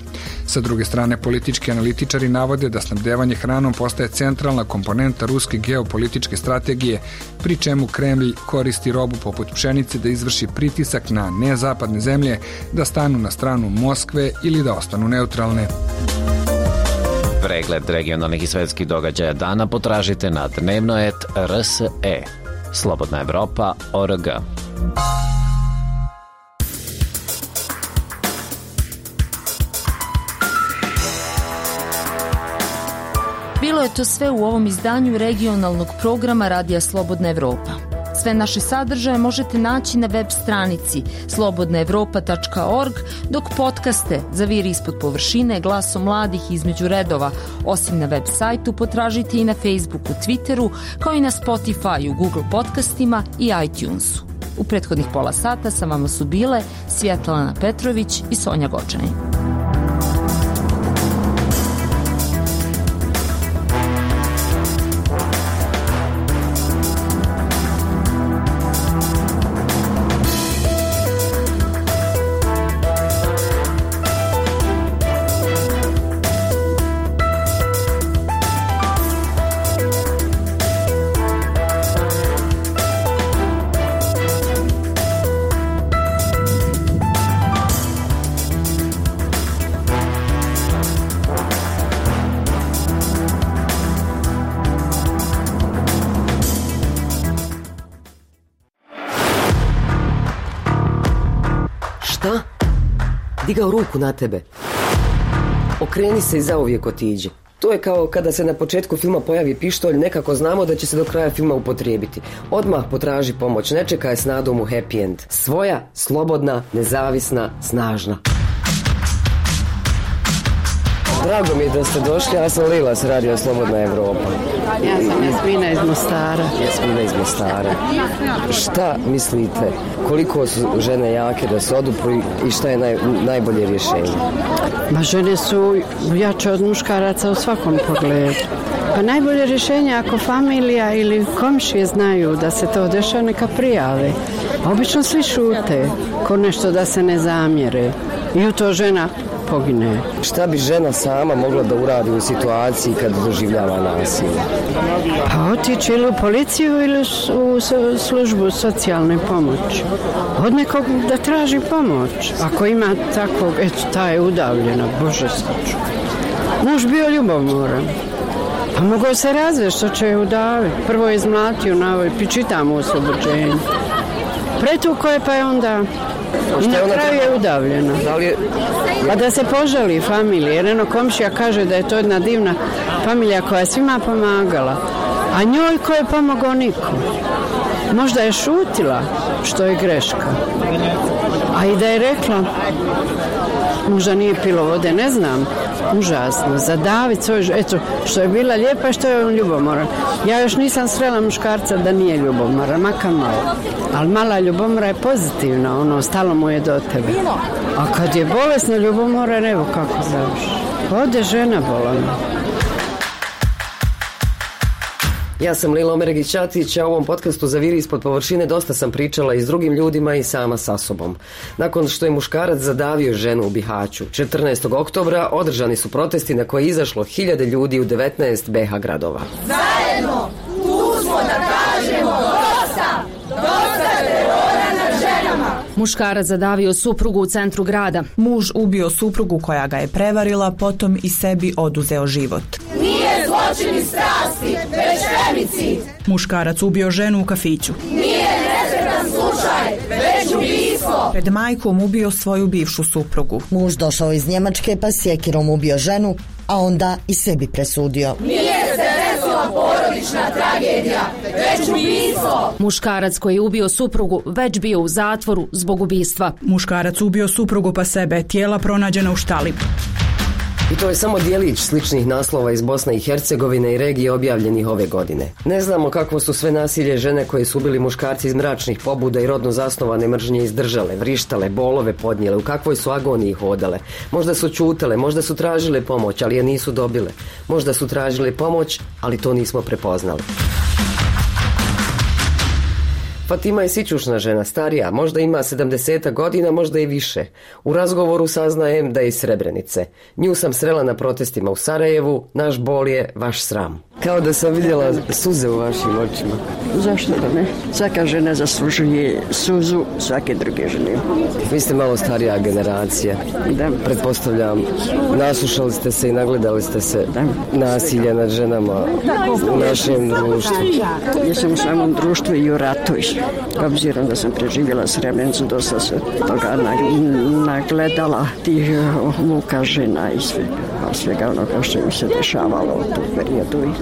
Sa druge strane, politički analitičari navode da snabdevanje hranom postaje centralna komponenta ruske geopolitičke strategije, pri čemu Kremlj koristi robu poput pšenice da izvrši pritisak na nezapadne zemlje da stanu na stranu Moskve ili da ostanu neutralne.
Pregled regionalnih i svetskih događaja dana potražite na dnevnoet.rse. Slobodna Evropa.org.
Bilo je to sve u ovom izdanju regionalnog programa Radija Slobodna Evropa. Sve naše sadržaje možete naći na web stranici slobodnaevropa.org, dok podcaste Zaviri ispod površine, Glasom mladih između redova, osim na web sajtu, potražite i na Facebooku, Twitteru, kao i na Spotifyu, Google podcastima i iTunesu. U prethodnih pola sata sa vama su bile Svjetlana Petrović i Sonja Gočanin.
Šta? Digao ruku na tebe. Okreni se i zauvijek otiđi. To je kao kada se na početku filma pojavi pištolj, nekako znamo da će se do kraja filma upotrijebiti. Odmah potraži pomoć, ne čekaj s nadom u happy end. Svoja, slobodna, nezavisna, snažna. Drago mi je da ste došli, ja sam Lila s Radio Slobodna Evropa.
Ja sam Jasmina iz Mostara.
Jasmina iz Mostara. Šta mislite, koliko su žene jake da se odupru i šta je najbolje rješenje?
Ma žene su jače od muškaraca u svakom pogledu. Pa najbolje rješenje ako familija ili komšije znaju da se to dešava, neka prijave. A obično svi šute, ko nešto da se ne zamjere. I u to žena pogine.
Šta bi žena sama mogla da uradi u situaciji kad doživljava nasilje?
Pa otići ili u policiju ili u službu socijalne pomoći. Od nekog da traži pomoć. Ako ima takvog, eto, ta je udavljena, Bože sačuvaj. Muž bio ljubomoran. Pa mogao se razvesti, što će je udaviti. Prvo je izmlatio na ovoj, čitamo u oslobođenju. Pretuko je, pa je onda... I na kraju je udavljena. Pa da se požali familije, jer eno komšija kaže da je to jedna divna familija koja je svima pomagala, a njoj ko je pomogao niko. Možda je šutila, što je greška. A i da je rekla, možda nije pilo vode, ne znam, užasno, zadaviti svoj, eto, što je bila lijepa i što je on ljubomoran. Ja još nisam srela muškarca da nije ljubomoran, makar malo. Ali mala ljubomora je pozitivna, ono, stalo mu je do tebe. A kad je bolesna ljubomora, evo kako završi. Ode žena bolana.
Ja sam Lila Omeregić-Ćatić, a u ovom podcastu Zaviri ispod površine dosta sam pričala i s drugim ljudima i sama sa sobom. Nakon što je muškarac zadavio ženu u Bihaću, 14. oktobra održani su protesti na koje je izašlo 1000 ljudi u 19 BiH gradova.
Zajedno, tu smo da kažemo dosta! Dosta terora nad ženama!
Muškarac zadavio suprugu u centru grada.
Muž ubio suprugu koja ga je prevarila, potom i sebi oduzeo život.
Nije zločin iz strasti, već femicid.
Muškarac ubio ženu u kafiću.
Nije nesretan slučaj, već ubistvo.
Pred majkom ubio svoju bivšu suprugu.
Muž došao iz Njemačke pa sjekirom ubio ženu, a onda i sebi presudio.
Nije se desila porodična tragedija, već ubistvo.
Muškarac koji je ubio suprugu već bio u zatvoru zbog ubistva.
Muškarac ubio suprugu pa sebe, tijela pronađena u štali.
I to je samo dijelić sličnih naslova iz Bosne i Hercegovine i regije objavljenih ove godine. Ne znamo kakvo su sve nasilje žene koje su ubili muškarci iz mračnih pobuda i rodno zasnovane mržnje izdržale, vrištale, bolove podnijele, u kakvoj su agoniji hodale. Možda su ćutale, možda su tražile pomoć, ali je nisu dobile. Možda su tražile pomoć, ali to nismo prepoznali. Fatima je sićušna žena, starija, možda ima 70 godina, možda i više. U razgovoru saznajem da je iz Srebrenice. Nju sam srela na protestima u Sarajevu, naš bol je vaš sram. Kao da sam vidjela suze u vašim očima.
Zašto da ne? Svaka žena zaslužuje suzu svake druge žene.
Vi ste malo starija generacija.
Da.
Pretpostavljam, naslušali ste se i nagledali ste se nasilja nad ženama u našem društvu.
Ja sam u samom društvu i u ratu. Obzirom da sam preživjela Srebrenicu, dosta se toga nagledala, tih muka žena i svega onoga što im se dešavalo u tom periodu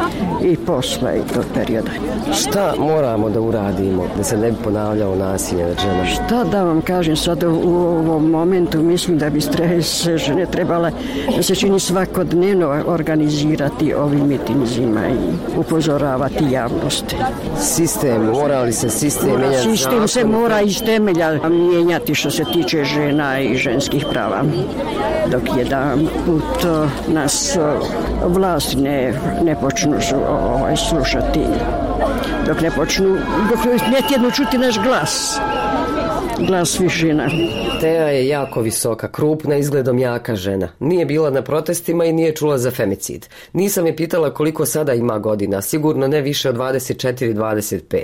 i posle i tog perioda.
Šta moramo da uradimo da se ne bi ponavljao nasilje nad ženama?
Šta da vam kažem sad u ovom momentu, mislim da bi se žene trebale da se čini svakodnevno organizirati ovim mitinzima i upozoravati javnosti.
Sistem, mora li se sistem mijenjati?
Sistem se mora iz temelja mijenjati što se tiče žena i ženskih prava. Dok jedan put nas vlasti ne počnu slušati, dok ne tjedno čuti naš glas svih žena.
Teja je jako visoka, krupna, izgledom jaka žena. Nije bila na protestima i nije čula za femicid. Nisam je pitala koliko sada ima godina, sigurno ne više od 24-25.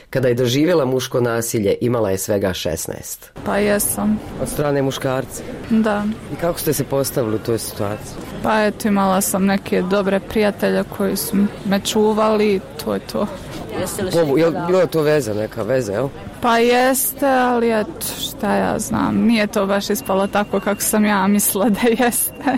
Kada je doživjela muško nasilje, imala je svega 16.
Pa jesam.
Od strane muškarca?
Da.
I kako ste se postavili u toj situaciji?
Pa eto, imala sam neke dobre prijatelje koji su me čuvali, to je to.
Jel bilo to veza, neka veza, jel?
Pa jeste, ali eto, šta ja znam, nije to baš ispalo tako kako sam ja mislila da jeste.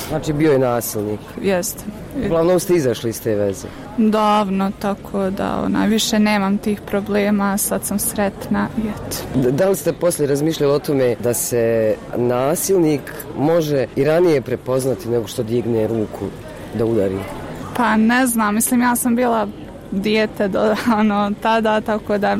Znači bio je nasilnik?
Jeste.
Uglavnom ste izašli iz te veze?
Davno, tako da više nemam tih problema, sad sam sretna i eto.
Da li ste poslije razmišljali o tome da se nasilnik može i ranije prepoznati nego što digne ruku da udari?
Pa ne znam, mislim ja sam bila dijete do tada, tako da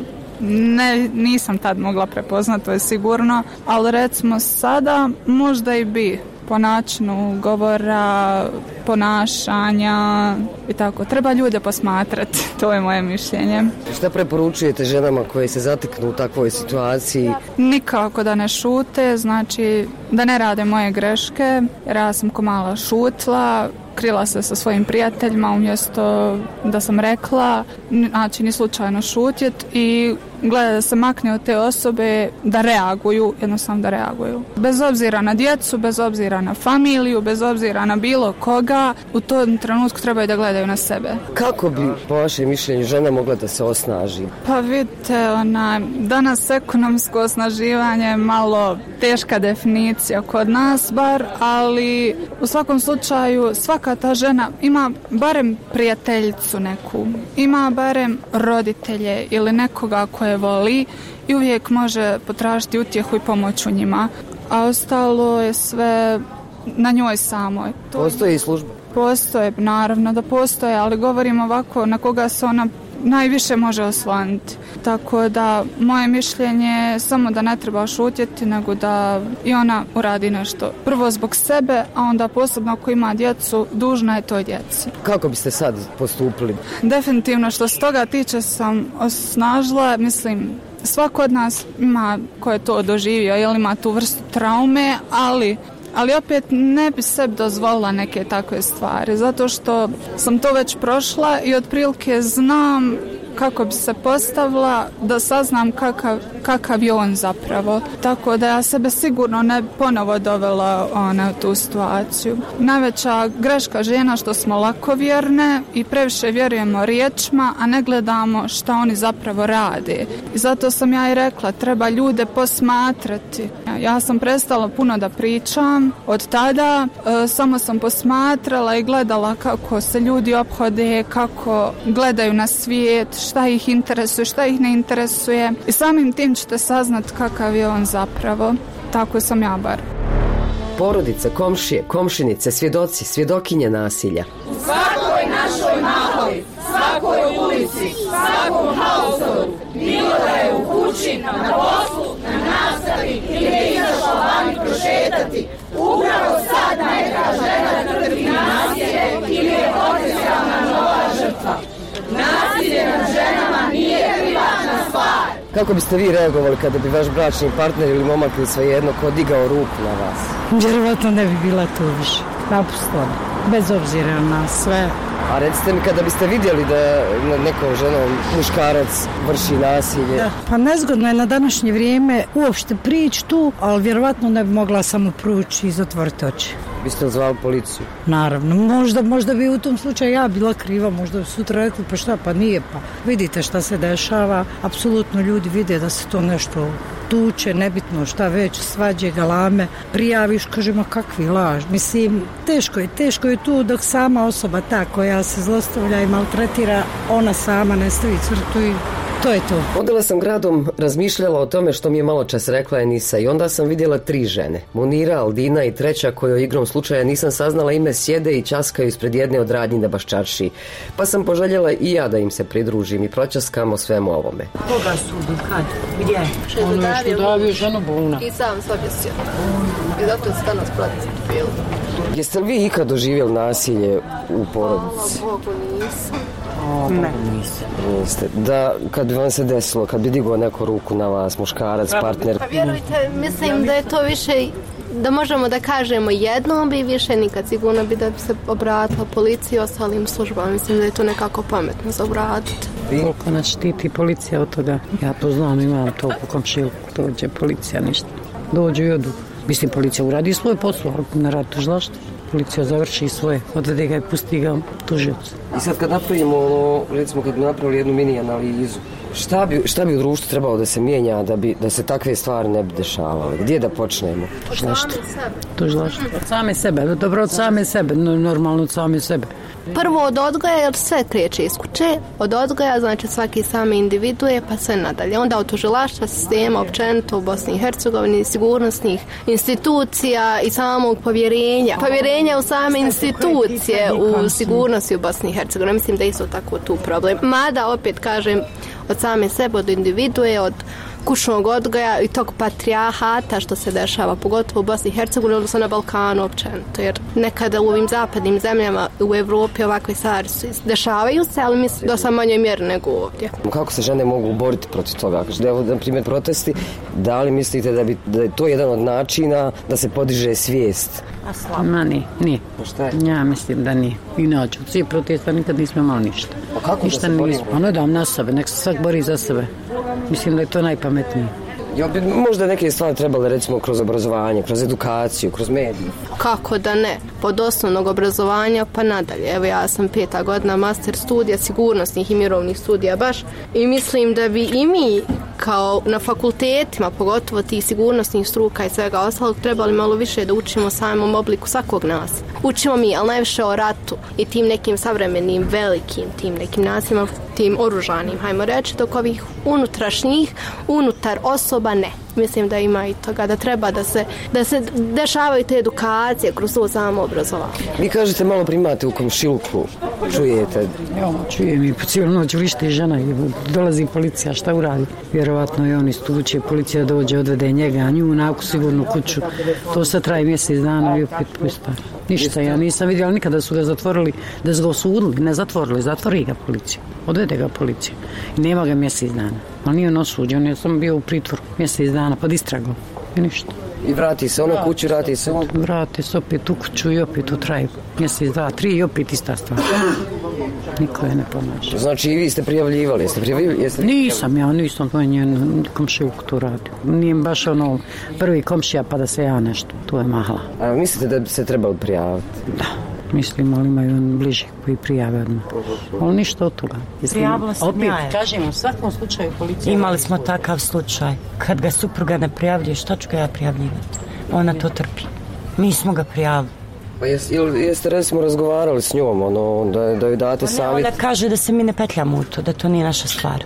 nisam tad mogla prepoznati, to je sigurno, ali recimo sada možda i bi, po načinu govora, ponašanja i tako. Treba ljude posmatrati, to je moje mišljenje.
Šta preporučujete ženama koje se zateknu u takvoj situaciji?
Nikako da ne šute, znači da ne rade moje greške, jer ja sam ko mala šutla, krila se sa svojim prijateljima umjesto da sam rekla, znači ni slučajno šutjet i gleda da se makne od te osobe, da reaguju, jednostavno da reaguju. Bez obzira na djecu, bez obzira na familiju, bez obzira na bilo koga, u tom trenutku trebaju da gledaju na sebe.
Kako bi, po vašem mišljenju, žena mogla da se osnaži?
Pa vidite, danas ekonomsko osnaživanje je malo teška definicija kod nas bar, ali u svakom slučaju svaka ta žena ima barem prijateljicu neku, ima barem roditelje ili nekoga koje voli i uvijek može potražiti utjehu i pomoć u njima, a ostalo je sve na njoj samoj.
Postoji i služba?
Postoje, naravno da postoje, ali govorim ovako na koga se ona najviše može osloniti. Tako da moje mišljenje je samo da ne treba šutjeti, nego da i ona uradi nešto. Prvo zbog sebe, a onda posebno ako ima djecu, dužna je toj djeci.
Kako biste sad postupili?
Definitivno što se toga tiče sam osnažila, mislim, svako od nas ima ko je to doživio, jel ima tu vrstu traume, ali opet ne bi sebi dozvolila neke takve stvari, zato što sam to već prošla i otprilike znam kako bi se postavila, da saznam kakav je on zapravo. Tako da ja sebe sigurno ne bi ponovo dovela u tu situaciju. Najveća greška žena što smo lakovjerne i previše vjerujemo riječima, a ne gledamo šta oni zapravo rade. I zato sam ja i rekla, treba ljude posmatrati. Ja sam prestala puno da pričam od tada, samo sam posmatrala i gledala kako se ljudi ophode, kako gledaju na svijet, šta ih interesuje, šta ih ne interesuje i samim tim ćete saznat kakav je on zapravo. Tako sam ja bar.
Porodice, komšije, komšinice, svjedoci, svjedokinje nasilja.
U svakoj našoj mahali, svakoj ulici, svakom hausoru, bilo da je u kući, na poslu, na nastavi ili je izašla vani prošetati, upravo sad neka žena trpi nasilje ili je potencijalna nova žrtva. Nasilje nad ženama nije privatna stvar.
Kako biste vi reagovali kada bi vaš bračni partner ili momak ili svejedno ko digao ruku na vas?
Vjerovatno ne bi bila tu više. Napustila bi, bez obzira na sve.
A recite mi, kada biste vidjeli da nekom ženom muškarac vrši nasilje?
Da. Pa nezgodno je na današnje vrijeme uopšte prići tu, ali vjerovatno ne bi mogla samo prući i zatvoriti oči.
Biste li zvali policiju?
Naravno, možda bi u tom slučaju ja bila kriva, možda bi sutra rekli pa šta, pa nije, pa vidite šta se dešava, apsolutno ljudi vide da se to nešto tuče, nebitno šta već, svađe, galame, prijaviš, kažemo kakvi laž, mislim, teško je tu dok sama osoba ta koja se zlostavlja i maltretira, ona sama ne stavi crtu i to je to.
Odela sam gradom, razmišljala o tome što mi je malo čas rekla Enisa i onda sam vidjela 3 žene. Munira, Aldina i treća kojoj igrom slučaja nisam saznala ime, sjede i časkaju ispred jedne od radnji na Baščaršiji. Pa sam poželjela i ja da im se pridružim i pročaskamo svemu ovome.
Koga sudu, kad, gdje? Ono je što davio ženu Buna.
I sam se objesio. I zato se danas prati bilo.
Jeste li vi ikad doživjeli nasilje u porodici?
Bogu nisam.
Ne.
Niste. Da, kad bi vam se desilo, kad bi digao neku ruku na vas, muškarac, partner?
Pa vjerujte, mislim da je to više, da možemo da kažemo jednom bi više nikad, sigurno bi da bi se obratila policiji i ostalim službama. Mislim da je to nekako pametno za obratiti.
Koliko nas štiti policija od toga? Ja to znam, imam to u komšiluku, dođe policija, ništa. Dođu i odu. Mislim, policija uradi svoj posao, ali ne radi tužilaštvo. policija završi svoje, odvede ga i pusti ga tužiocu.
I sad kad napravimo recimo kad bi napravili jednu mini analizu, šta bi u društvu trebalo da se mijenja da se takve stvari ne bi dešavale? Gdje da počnemo?
Tužilaštvo. Od same sebe, dobro od same sebe, normalno od same sebe.
Prvo od odgoja, jer sve kreće iz kuće. Od odgoja, znači svaki same individuje, pa sve nadalje. Onda od tužilaštva, sistema, općenito u Bosni i Hercegovini, sigurnosnih institucija i samog povjerenja. Povjerenja u same institucije u sigurnosti u Bosni i Hercegovini. Mislim da je isto tako tu problem. Mada, opet kažem, od same sebe, od individuje, od kućnog odgoja i tog patrijahata što se dešava, pogotovo u Bosni i Hercegovini, odnosno na Balkanu općenito, jer nekada u ovim zapadnim zemljama u Evropi ovakve stvari dešavaju se, ali mislim da sam manjoj mjeri nego ovdje.
Kako se žene mogu boriti protiv toga? Da je, na primjer, protesti, da li mislite da je to jedan od načina da se podiže svijest?
Ma nije.
Šta je?
Ja mislim da nije. Inače, od svih protesta nikad nismo imali ništa.
A kako
ništa
da se borimo?
Pa ne dam na sebe, nek se svak bori za sebe. Mislim da je to najpametnije.
Jel bi možda neke stvari trebale recimo kroz obrazovanje, kroz edukaciju, kroz medije?
Kako da ne? Pod osnovnog obrazovanja pa nadalje. Evo ja sam 5. godina master studija sigurnosnih i mirovnih studija baš i mislim da bi i mi kao na fakultetima, pogotovo tih sigurnosnih struka i svega ostalog, trebali malo više da učimo o samom obliku svakog nas. Učimo mi, ali najviše o ratu i tim nekim savremenim, velikim, tim nekim nasilima, tim oružanim, hajmo reći, dok ovih unutrašnjih, unutar osoba ne. Mislim da ima i toga, da treba da se dešavaju te edukacije kroz to samo obrazovanje.
Vi kažete malo primate u komšiluku, čujete?
Ja, čujem i po cijelu noć vrište žena i dolazi policija, šta uradi? Vjerovatno je on istuče, policija dođe, odvede njega, a nju naku sigurnu kuću. To sad traje mjesec dana i opet pusta. Ništa, ja nisam vidjela nikada su ga zatvorili, da su ga osudili, ne zatvorili, zatvori ga policija, odvede ga policija. I nema ga mjesec dana, ali nije on osuđen, on je samo bio u pritvoru mjesec dana pod istragom i ništa.
I vrati se ono kuću, vrati se on?
Vrati se opet u kuću i opet u traju. Mjesec, 2, 3 i opet ista stvar. Niko je ne pomaže.
Znači i vi ste prijavljivali?
Nisam, to je njen komšijuk tu radio. Nije baš ono prvi komšija pa da se ja nešto, to je mahla.
A mislite da bi se trebali prijaviti?
Da. Mislim, ali imaju on bliži koji prijave odmah. Ali ništa od toga.
Prijavila sam ja.
Kažem, u svakom slučaju policija...
Imali smo takav slučaj. Kad ga supruga ne prijavljuje, šta ću ga ja prijavljivati? Ona to trpi. Mi smo ga prijavili.
Pa jeste recimo razgovarali s njom, da joj date savjet?
Ona kaže da se mi ne petljamo u to, da to nije naša stvar.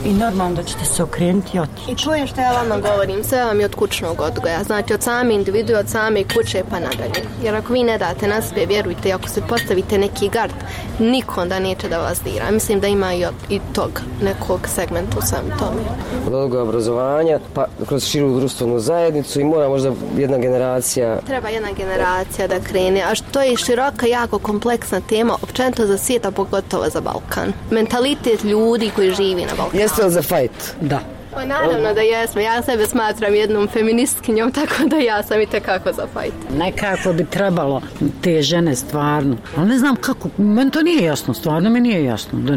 I normalno da ćete se okrenuti i otići.
I čujem što ja vama govorim, sve vam je od kućnog odgoja. Znači od same individue, od same kuće pa nadalje. Jer ako vi ne date na sebe, vjerujte, ako se postavite neki gard, niko onda neće da vas dira. Mislim da ima i tog nekog segmenta u samom tome.
Od odgoja obrazovanja, pa kroz širu društvenu zajednicu i mora možda jedna generacija...
Treba jedna generacija da krene, a što je široka, jako kompleksna tema, općenito za svijet, a pogotovo za Balkan. Mentalitet ljudi koji živi na Balkanu.
Jeste li za fajt?
Da.
Pa naravno da jesmo. Ja sebe smatram jednom feministkinjom, tako da ja sam i tekako za fajt.
Nekako bi trebalo te žene stvarno. Ali ne znam kako, meni to nije jasno, stvarno mi nije jasno. Da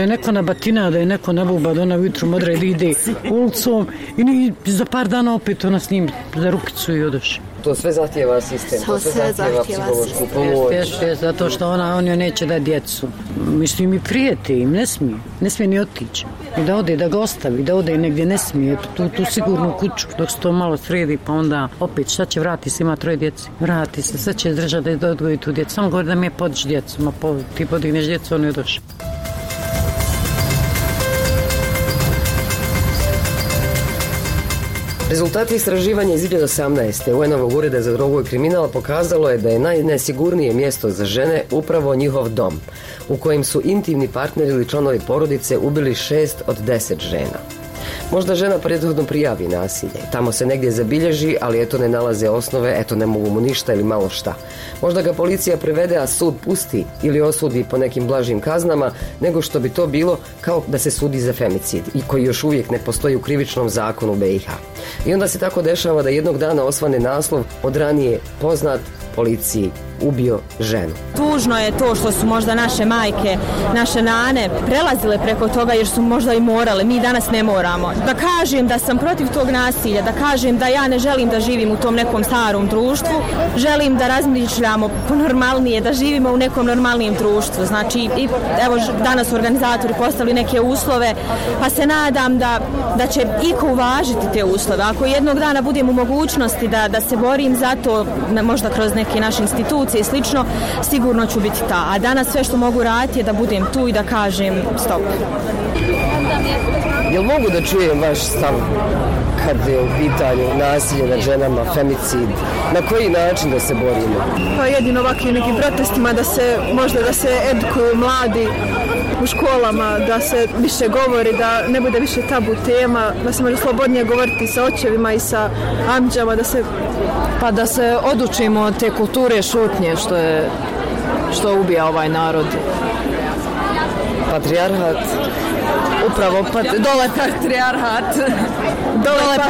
je neko nabatina, da je neko nabuba, da ona ujutru modre ide ulicom i za par dana opet ona s njim za rukicu i odoši.
To sve zahtijeva sistem, to sve zahtijeva psihološku pomoć.
Zato što on joj neće da djecu. Mislim i prijeti im, ne smije ni otići. I da ode, da ga ostavi, da ode negdje ne smije, tu sigurnu kuću, dok se to malo sredi, pa onda opet šta će, vrati se, ima 3 djece. Vrati se, sad će držati da odgoji tu djecu. Samo govori da mi je podići djecu, ti podigneš djecu, on je došao.
Rezultati istraživanja iz 2018. UN-ovog ureda za drogu i kriminal pokazalo je da je najnesigurnije mjesto za žene upravo njihov dom, u kojem su intimni partneri ili članovi porodice ubili 6 od 10 žena. Možda žena prethodno prijavi nasilje, tamo se negdje zabilježi, ali eto ne nalaze osnove, eto ne mogu mu ništa ili malo šta. Možda ga policija prevede, a sud pusti ili osudi po nekim blažim kaznama, nego što bi to bilo kao da se sudi za femicid, i koji još uvijek ne postoji u krivičnom zakonu BiH. I onda se tako dešava da jednog dana osvane naslov od ranije poznat policiji ubio ženu.
Tužno je to što su možda naše majke, naše nane prelazile preko toga jer su možda i morale. Mi danas ne moramo. Da kažem da sam protiv tog nasilja, da kažem da ja ne želim da živim u tom nekom starom društvu, želim da razmišljamo normalnije, da živimo u nekom normalnijem društvu. Znači, evo danas su organizatori postavili neke uslove, pa se nadam da će iko uvažiti te uslove. Ako jednog dana budem u mogućnosti da se borim za to, možda kroz neke naše institucije i slično, sigurno ću biti ta. A danas sve što mogu raditi je da budem tu i da kažem stop.
Jel mogu da čujem vaš stav kad je u pitanju nasilje nad ženama, femicid? Na koji način da se borimo?
Pa jedino ovakvim nekim protestima da se edukuju mladi u školama, da se više govori, da ne bude više tabu tema, da se može slobodnije govoriti sa očevima i sa amđama, da se odučimo od te kulture šutnje što ubija ovaj narod.
Patrijarhat.
Upravo, dole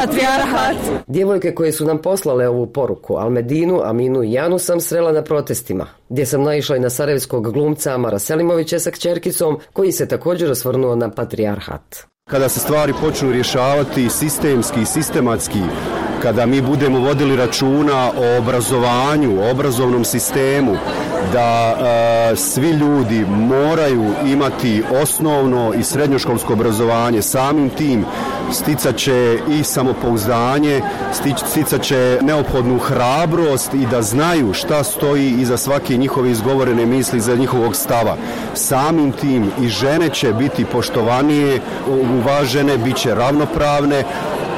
patrijarhat.
Djevojke koje su nam poslale ovu poruku, Almedinu, Aminu i Janu, sam srela na protestima, gdje sam naišla i na sarajevskog glumca Amara Selimovića sa kćerkicom, koji se također osvrnuo na patrijarhat.
Kada se stvari počnu rješavati sistemski i sistematski, kada mi budemo vodili računa o obrazovanju, o obrazovnom sistemu, da svi ljudi moraju imati osnovno i srednjoškolsko obrazovanje, samim tim sticat će i samopouzdanje, sticat će neophodnu hrabrost i da znaju šta stoji iza svake njihove izgovorene misli, iza njihovog stava. Samim tim i žene će biti poštovanije, uvažene, bit će ravnopravne,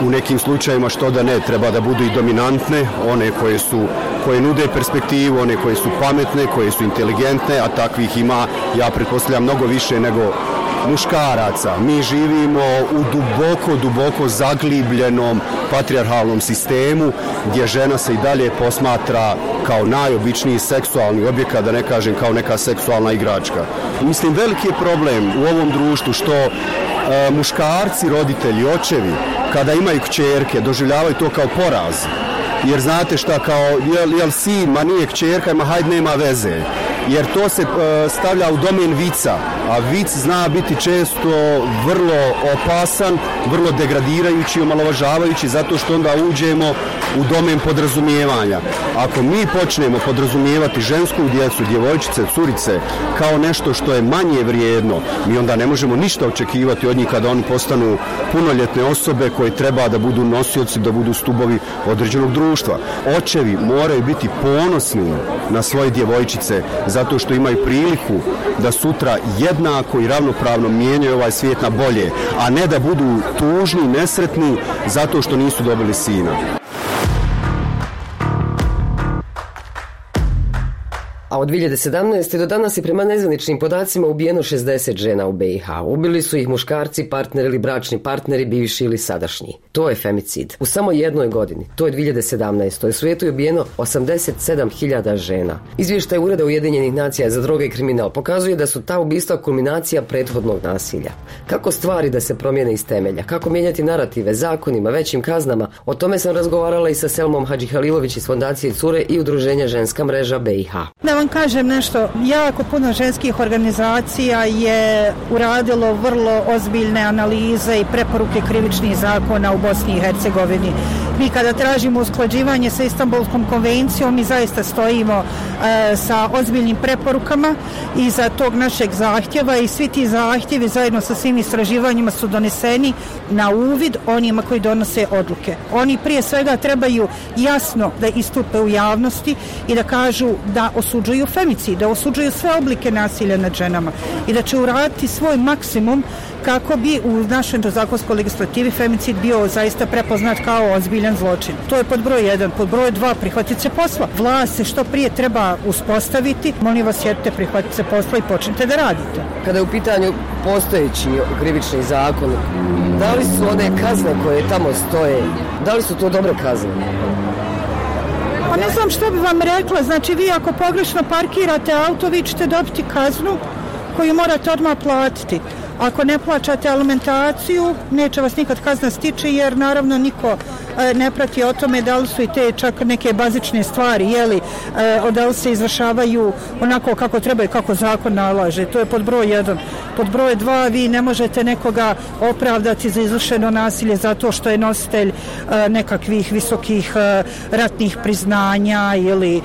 u nekim slučajima što da ne, treba da budu i dominantne, one koje nude perspektivu, one koje su pametne, koje su inteligentne, a takvih ima, ja pretpostavljam, mnogo više nego muškaraca. Mi živimo u duboko zaglibljenom patrijarhalnom sistemu gdje žena se i dalje posmatra kao najobičniji seksualni objekat, da ne kažem kao neka seksualna igračka. Mislim, veliki je problem u ovom društvu što muškarci, roditelji, očevi, kada imaju kćerke, doživljavaju to kao poraz. Jer znate šta, kao, jel sin, ma nije kćerka, ma hajde, nema veze. Jer to se stavlja u domen vica, a vic zna biti često vrlo opasan, vrlo degradirajući, omalovažavajući, zato što onda uđemo u domen podrazumijevanja. Ako mi počnemo podrazumijevati žensku djecu, djevojčice, curice, kao nešto što je manje vrijedno, mi onda ne možemo ništa očekivati od njih kada oni postanu punoljetne osobe koje treba da budu nosioci, da budu stubovi određenog društva. Očevi moraju biti ponosni na svoje djevojčice, zato što imaju priliku da sutra jednako i ravnopravno mijenjaju ovaj svijet na bolje, a ne da budu tužni, nesretni zato što nisu dobili sina.
A od 2017. do danas je prema nezvaničnim podacima ubijeno 60 žena u BiH. Ubili su ih muškarci, partneri ili bračni partneri, bivši ili sadašnji. To je femicid. U samo jednoj godini, to je 2017. u svijetu je ubijeno 87.000 žena. Izvještaj Ureda Ujedinjenih nacija za droge i kriminal pokazuje da su ta ubistva kulminacija prethodnog nasilja. Kako stvari da se promijene iz temelja? Kako mijenjati narative, zakonima, većim kaznama? O tome sam razgovarala i sa Selmom Hadžihalilović iz Fondacije Cure i Udruženja Ženska mreža BiH.
Da vam kažem nešto, jako puno ženskih organizacija je uradilo vrlo ozbiljne analize i preporuke krivičnih zakona u Bosni i Hercegovini. Mi kada tražimo usklađivanje sa Istanbulskom konvencijom, mi zaista stojimo sa ozbiljnim preporukama iza tog našeg zahtjeva i svi ti zahtjevi zajedno sa svim istraživanjima su doneseni na uvid onima koji donose odluke. Oni prije svega trebaju jasno da istupe u javnosti i da kažu da osuđuju femicid, da osuđuju sve oblike nasilja nad ženama i da će uraditi svoj maksimum kako bi u našoj zakonskoj legislativi femicid bio zaista prepoznat kao ozbiljan zločin. To je pod broj 1. Pod broj 2, prihvatiti se posla. Vlast se što prije treba uspostaviti. Molim vas, sjedite, prihvatite se posla i počnite da radite.
Kada je u pitanju postojeći krivični zakon, da li su one kazne koje tamo stoje, da li su to dobre kazne?
Pa ne znam što bi vam rekla, znači vi ako pogrešno parkirate auto, vi ćete dobiti kaznu koju morate odmah platiti. Ako ne plaćate alimentaciju, neće vas nikad kazna stići jer naravno niko
ne prati o tome da li su i te čak neke bazične stvari, da li se izvršavaju onako kako treba i kako zakon nalaže. To je pod broj 1. Pod broj 2, vi ne možete nekoga opravdati za izvršeno nasilje zato što je nositelj nekakvih visokih ratnih priznanja ili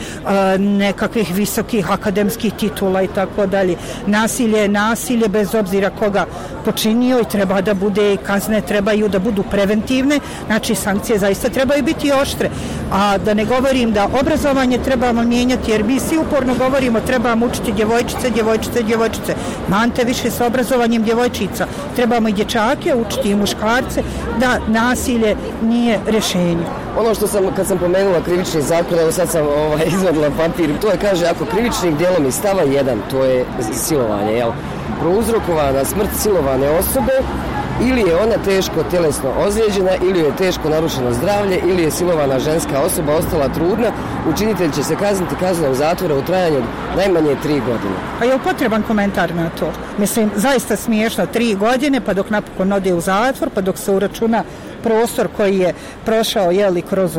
nekakvih visokih akademskih titula i tako dalje. Nasilje je nasilje bez obzira koga počinio i treba da bude, kazne trebaju da budu preventivne, znači sankcije zaista trebaju biti oštre. A da ne govorim da obrazovanje trebamo mijenjati, jer mi svi uporno govorimo trebamo učiti djevojčice. Mante više sa obrazovanjem djevojčica. Trebamo i dječake učiti i muškarce da nasilje nije rješenje.
Ono što kad sam pomenula krivični zakon, evo sad sam izvadila papir, to je, kaže, ako krivičnim djelom iz stava 1, to je silovanje, prouzrokovana smrt silovane osobe, ili je ona teško tjelesno ozlijeđena, ili je teško narušeno zdravlje, ili je silovana ženska osoba ostala trudna, učinitelj će se kazniti kaznom zatvora u trajanju najmanje 3 godine.
A je li potreban komentar na to? Mislim, zaista smiješno, 3 godine, pa dok napokon ode u zatvor, pa dok se uračuna prostor koji je prošao kroz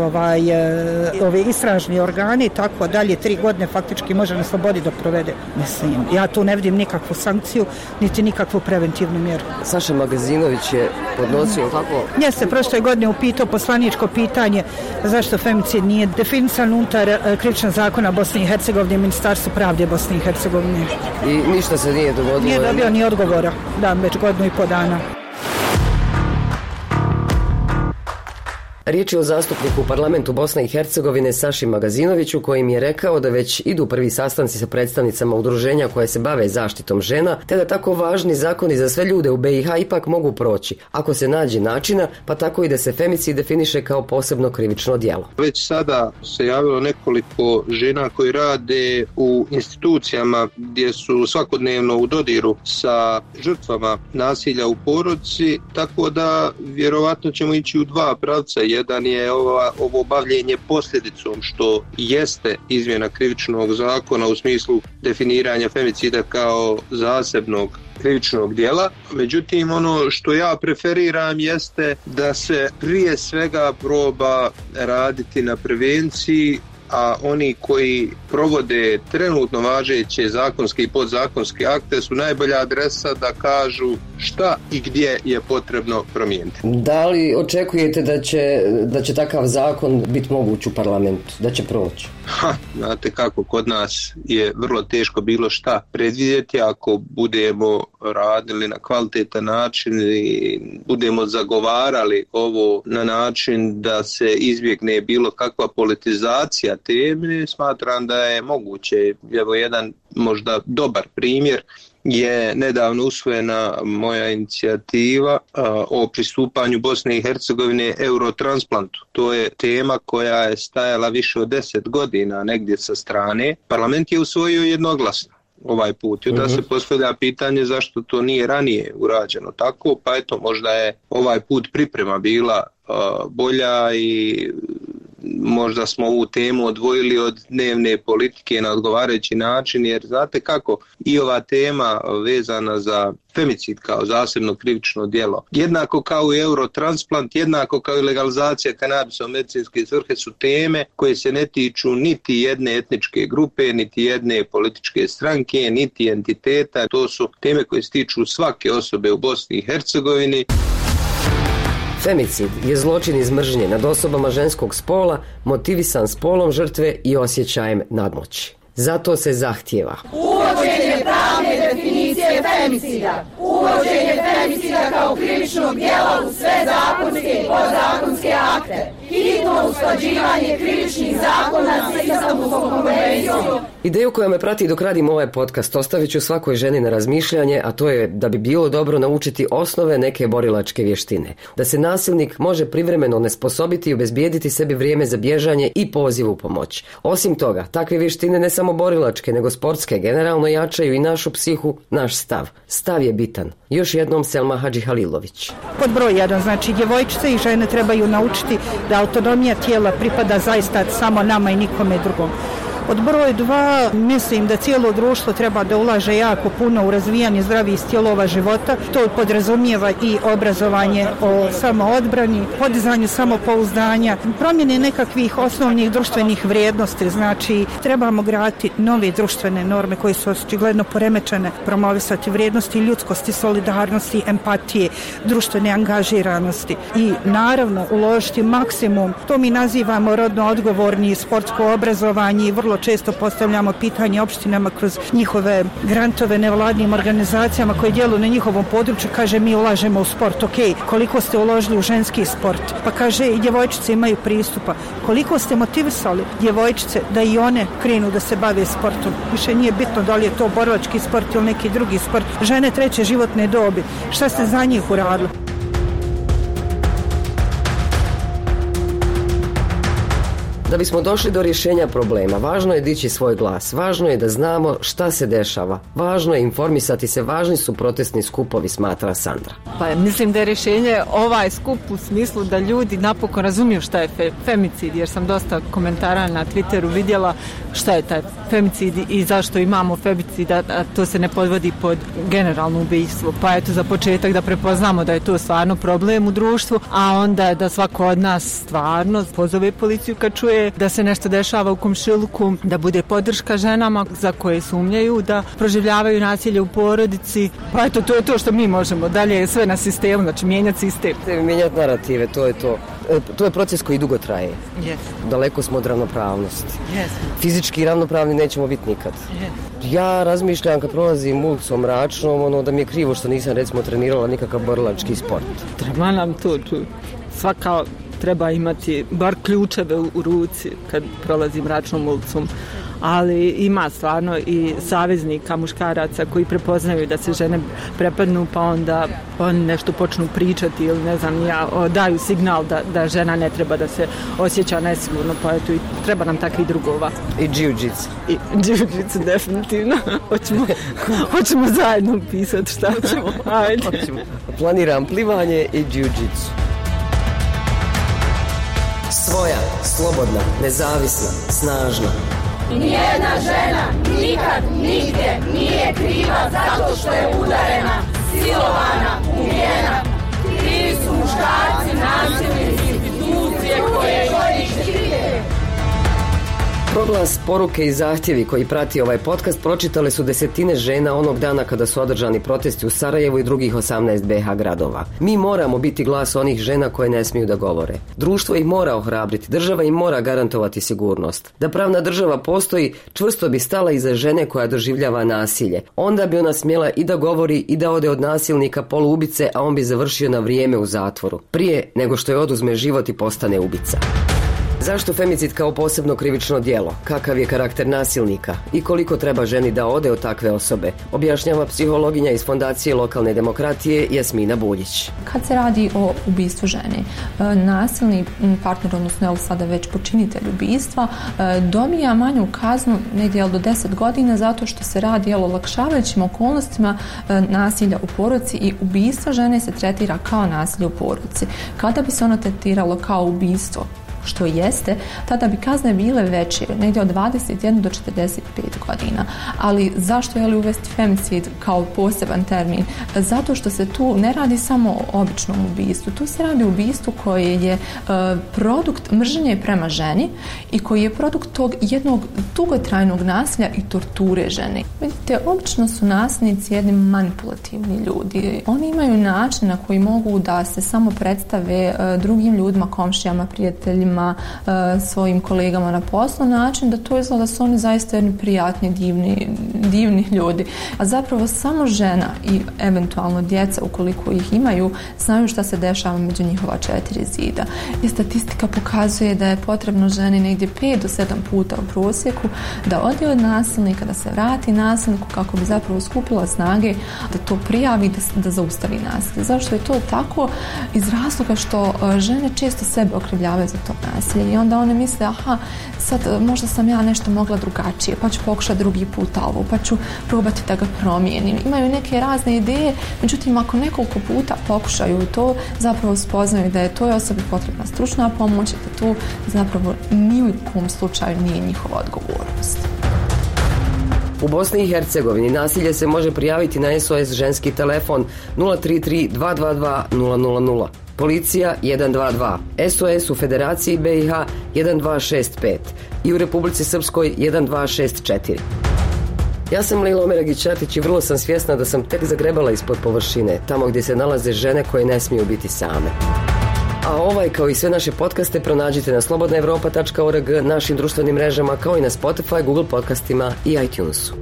ove istražni organi i tako dalje, 3 godine faktički može na slobodi dok provede. Mislim, ja tu ne vidim nikakvu sankciju, niti nikakvu preventivnu mjeru.
Saša Magazinović je podnosio kako?
Jeste, prošle godine upitao poslaničko pitanje zašto femicid nije definisan unutar krivičnog zakona Bosne i Hercegovine i Ministarstvo pravde Bosne i Hercegovine.
I ništa se nije dogodilo?
Nije dobio ni odgovora, već 1.5 godina.
Riječ je o zastupniku u parlamentu Bosne i Hercegovine Saši Magazinoviću, kojim je rekao da već idu prvi sastanci sa predstavnicama udruženja koje se bave zaštitom žena, te da tako važni zakoni za sve ljude u BiH ipak mogu proći, ako se nađe načina, pa tako i da se femicid definiše kao posebno krivično djelo.
Već sada se javilo nekoliko žena koji rade u institucijama gdje su svakodnevno u dodiru sa žrtvama nasilja u porodici, tako da vjerovatno ćemo ići u 2 pravca. Jedan je ovo bavljenje posljedicom, što jeste izmjena krivičnog zakona u smislu definiranja femicida kao zasebnog krivičnog djela. Međutim, ono što ja preferiram jeste da se prije svega proba raditi na prevenciji, a oni koji provode trenutno važeće zakonske i podzakonske akte su najbolja adresa da kažu šta i gdje je potrebno promijeniti.
Da li očekujete da će takav zakon biti moguć u parlamentu, da će proći?
Znate kako, kod nas je vrlo teško bilo šta predvidjeti. Ako budemo radili na kvalitetan način i budemo zagovarali ovo na način da se izbjegne bilo kakva politizacija teme, smatram da je moguće. Evo jedan možda dobar primjer je nedavno usvojena moja inicijativa o pristupanju Bosne i Hercegovine Eurotransplantu. To je tema koja je stajala više od 10 godina negdje sa strane. Parlament je usvojio jednoglasno ovaj put. I onda se postavlja pitanje zašto to nije ranije urađeno tako, pa eto, možda je ovaj put priprema bila bolja i možda smo ovu temu odvojili od dnevne politike na odgovarajući način, jer znate kako, i ova tema vezana za femicid kao zasebno krivično djelo, jednako kao i eurotransplant, jednako kao i legalizacija kanabisa u medicinske svrhe su teme koje se ne tiču niti jedne etničke grupe, niti jedne političke stranke, niti entiteta. To su teme koje se tiču svake osobe u Bosni i Hercegovini.
Femicid je zločin iz mržnje nad osobama ženskog spola, motivisan spolom žrtve i osjećajem nadmoći. Zato se zahtijeva
uvođenje pravne definicije femicida, uvođenje femicida kao krivičnog djela u sve zakonske i podzakonske akte, hitno usklađivanje krivičnih zakona s Istanbulskom konvencijom.
Ideju koja me prati dok radim ovaj podcast ostavit ću svakoj ženi na razmišljanje, a to je da bi bilo dobro naučiti osnove neke borilačke vještine. Da se nasilnik može privremeno onesposobiti i obezbijediti sebi vrijeme za bježanje i poziv u pomoć. Osim toga, takve vještine ne samo borilačke, nego sportske generalno jačaju i našu psihu, naš stav. Stav je bitan. Još jednom Selma Hadžihalilović.
Pod broj 1, znači djevojčice i žene trebaju naučiti da autonomija tijela pripada zaista samo nama i nikome drugom. Pod broj 2, mislim da cijelo društvo treba da ulaže jako puno u razvijanje zdravih stilova života. To podrazumijeva i obrazovanje o samoodbrani, podizanju samopouzdanja, promjene nekakvih osnovnih društvenih vrijednosti. Znači, trebamo graditi nove društvene norme koje su očigledno poremećene, promovisati vrijednosti ljudskosti, solidarnosti, empatije, društvene angažiranosti i naravno uložiti maksimum. To mi nazivamo rodno odgovorni sportsko obrazovanje i vrlo često postavljamo pitanje opštinama kroz njihove grantove nevladnim organizacijama koje djeluju na njihovom području. Kaže, mi ulažemo u sport. Ok, koliko ste uložili u ženski sport? Pa kaže, i djevojčice imaju pristupa. Koliko ste motivisali djevojčice da i one krenu da se bave sportom? Više nije bitno da li je to borilački sport ili neki drugi sport. Žene treće životne dobi. Šta ste za njih uradili?
Da bismo došli do rješenja problema, važno je dići svoj glas, važno je da znamo šta se dešava, važno je informisati se, važni su protestni skupovi, smatra Sandra.
Pa mislim da je rješenje ovaj skup u smislu da ljudi napokon razumiju šta je femicid, jer sam dosta komentara na Twitteru vidjela šta je taj femicid i zašto imamo femicid, a to se ne podvodi pod generalno ubijstvo. Pa eto, za početak da prepoznamo da je to stvarno problem u društvu, a onda da svako od nas stvarno pozove policiju kad čuje da se nešto dešava u komšiluku, da bude podrška ženama za koje sumnjaju da proživljavaju nasilje u porodici. Pa eto, to je to što mi možemo. Dalje je sve na sistemu, znači mijenjati sistem.
Mijenjati narative, to je to. To je proces koji dugo traje.
Yes.
Daleko smo od ravnopravnosti.
Yes.
Fizički ravnopravni nećemo biti nikad.
Yes.
Ja razmišljam kad prolazim ulicom Mračnom, da mi je krivo što nisam recimo trenirala nikakav borilački sport.
Treba nam to svaka treba imati bar ključeve u ruci kad prolazi Mračnom ulicom, ali ima stvarno i saveznika muškaraca koji prepoznaju da se žene prepadnu, pa onda oni nešto počnu pričati ili ne znam ja, daju signal da žena ne treba da se osjeća nesigurno, pa eto i treba nam takvih drugova.
I jiu-jitsu.
I jiu-jitsu definitivno. Hoćemo zajedno pisati šta ćemo. Ajde.
Planiram plivanje i jiu-jitsu. Svoja, slobodna, nezavisna, snažna.
Nijedna žena nikad, nigdje nije kriva zato što je udarena, silovana, ubijena. Krivi su muškarci, nasilnici, institucije koje štite.
Proglas, poruke i zahtjevi koji prati ovaj podcast pročitale su desetine žena onog dana kada su održani protesti u Sarajevu i drugih 18 BiH gradova. Mi moramo biti glas onih žena koje ne smiju da govore. Društvo ih mora ohrabriti, država im mora garantovati sigurnost. Da pravna država postoji, čvrsto bi stala iza žene koja doživljava nasilje. Onda bi ona smjela i da govori i da ode od nasilnika poluubice, a on bi završio na vrijeme u zatvoru. Prije nego što je oduzme život i postane ubica. Zašto femicid kao posebno krivično djelo? Kakav je karakter nasilnika? I koliko treba ženi da ode od takve osobe? Objašnjava psihologinja iz Fondacije lokalne demokratije Jasmina Buljić.
Kad se radi o ubistvu žene, nasilni partner, odnosno evo sada već počinitelj ubistva, dobija manju kaznu negdje do 10 godina zato što se radi o olakšavajućim okolnostima nasilja u porodici i ubistvo žene se tretira kao nasilje u porodici. Kada bi se ono tretiralo kao ubistvo, što jeste, tada bi kazne bile veće, negdje od 21 do 45 godina. Ali zašto je li uvesti femicid kao poseban termin? Zato što se tu ne radi samo o običnom ubistvu. Tu se radi o ubistvu koje je produkt mržnje prema ženi i koji je produkt tog jednog dugotrajnog nasilja i torture žene. Vidite, obično su nasilnici jedni manipulativni ljudi. Oni imaju način na koji mogu da se samo predstave drugim ljudima, komšijama, prijateljima, svojim kolegama na poslu, način da to izgleda da su oni zaista jedni prijatni, divni ljudi. A zapravo samo žena i eventualno djeca, ukoliko ih imaju, znaju šta se dešava među njihova 4 zida. I statistika pokazuje da je potrebno ženi negdje 5 do 7 puta u prosjeku da ode od nasilnika, da se vrati nasilniku kako bi zapravo skupila snage da to prijavi, da zaustavi nasilje. Zašto je to tako? Iz razloga što žene često sebe okrivljavaju za to. nasilje i onda one misle aha, sad možda sam ja nešto mogla drugačije, pa ću pokušati drugi put ovo, pa ću probati da ga promijenim. Imaju neke razne ideje, međutim ako nekoliko puta pokušaju to, zapravo spoznaju da je toj osobi potrebna stručna pomoć, da to zapravo ni u kom slučaju nije njihova odgovornost.
U Bosni i Hercegovini nasilje se može prijaviti na SOS ženski telefon 033 222 000. Policija 122, SOS u Federaciji BiH 1265 i u Republici Srpskoj 1264. Ja sam Lila Omeragić-Ćatić i vrlo sam svjesna da sam tek zagrebala ispod površine, tamo gdje se nalaze žene koje ne smiju biti same. A ovaj kao i sve naše podcaste pronađite na slobodnaevropa.org, našim društvenim mrežama kao i na Spotify, Google podcastima i iTunesu.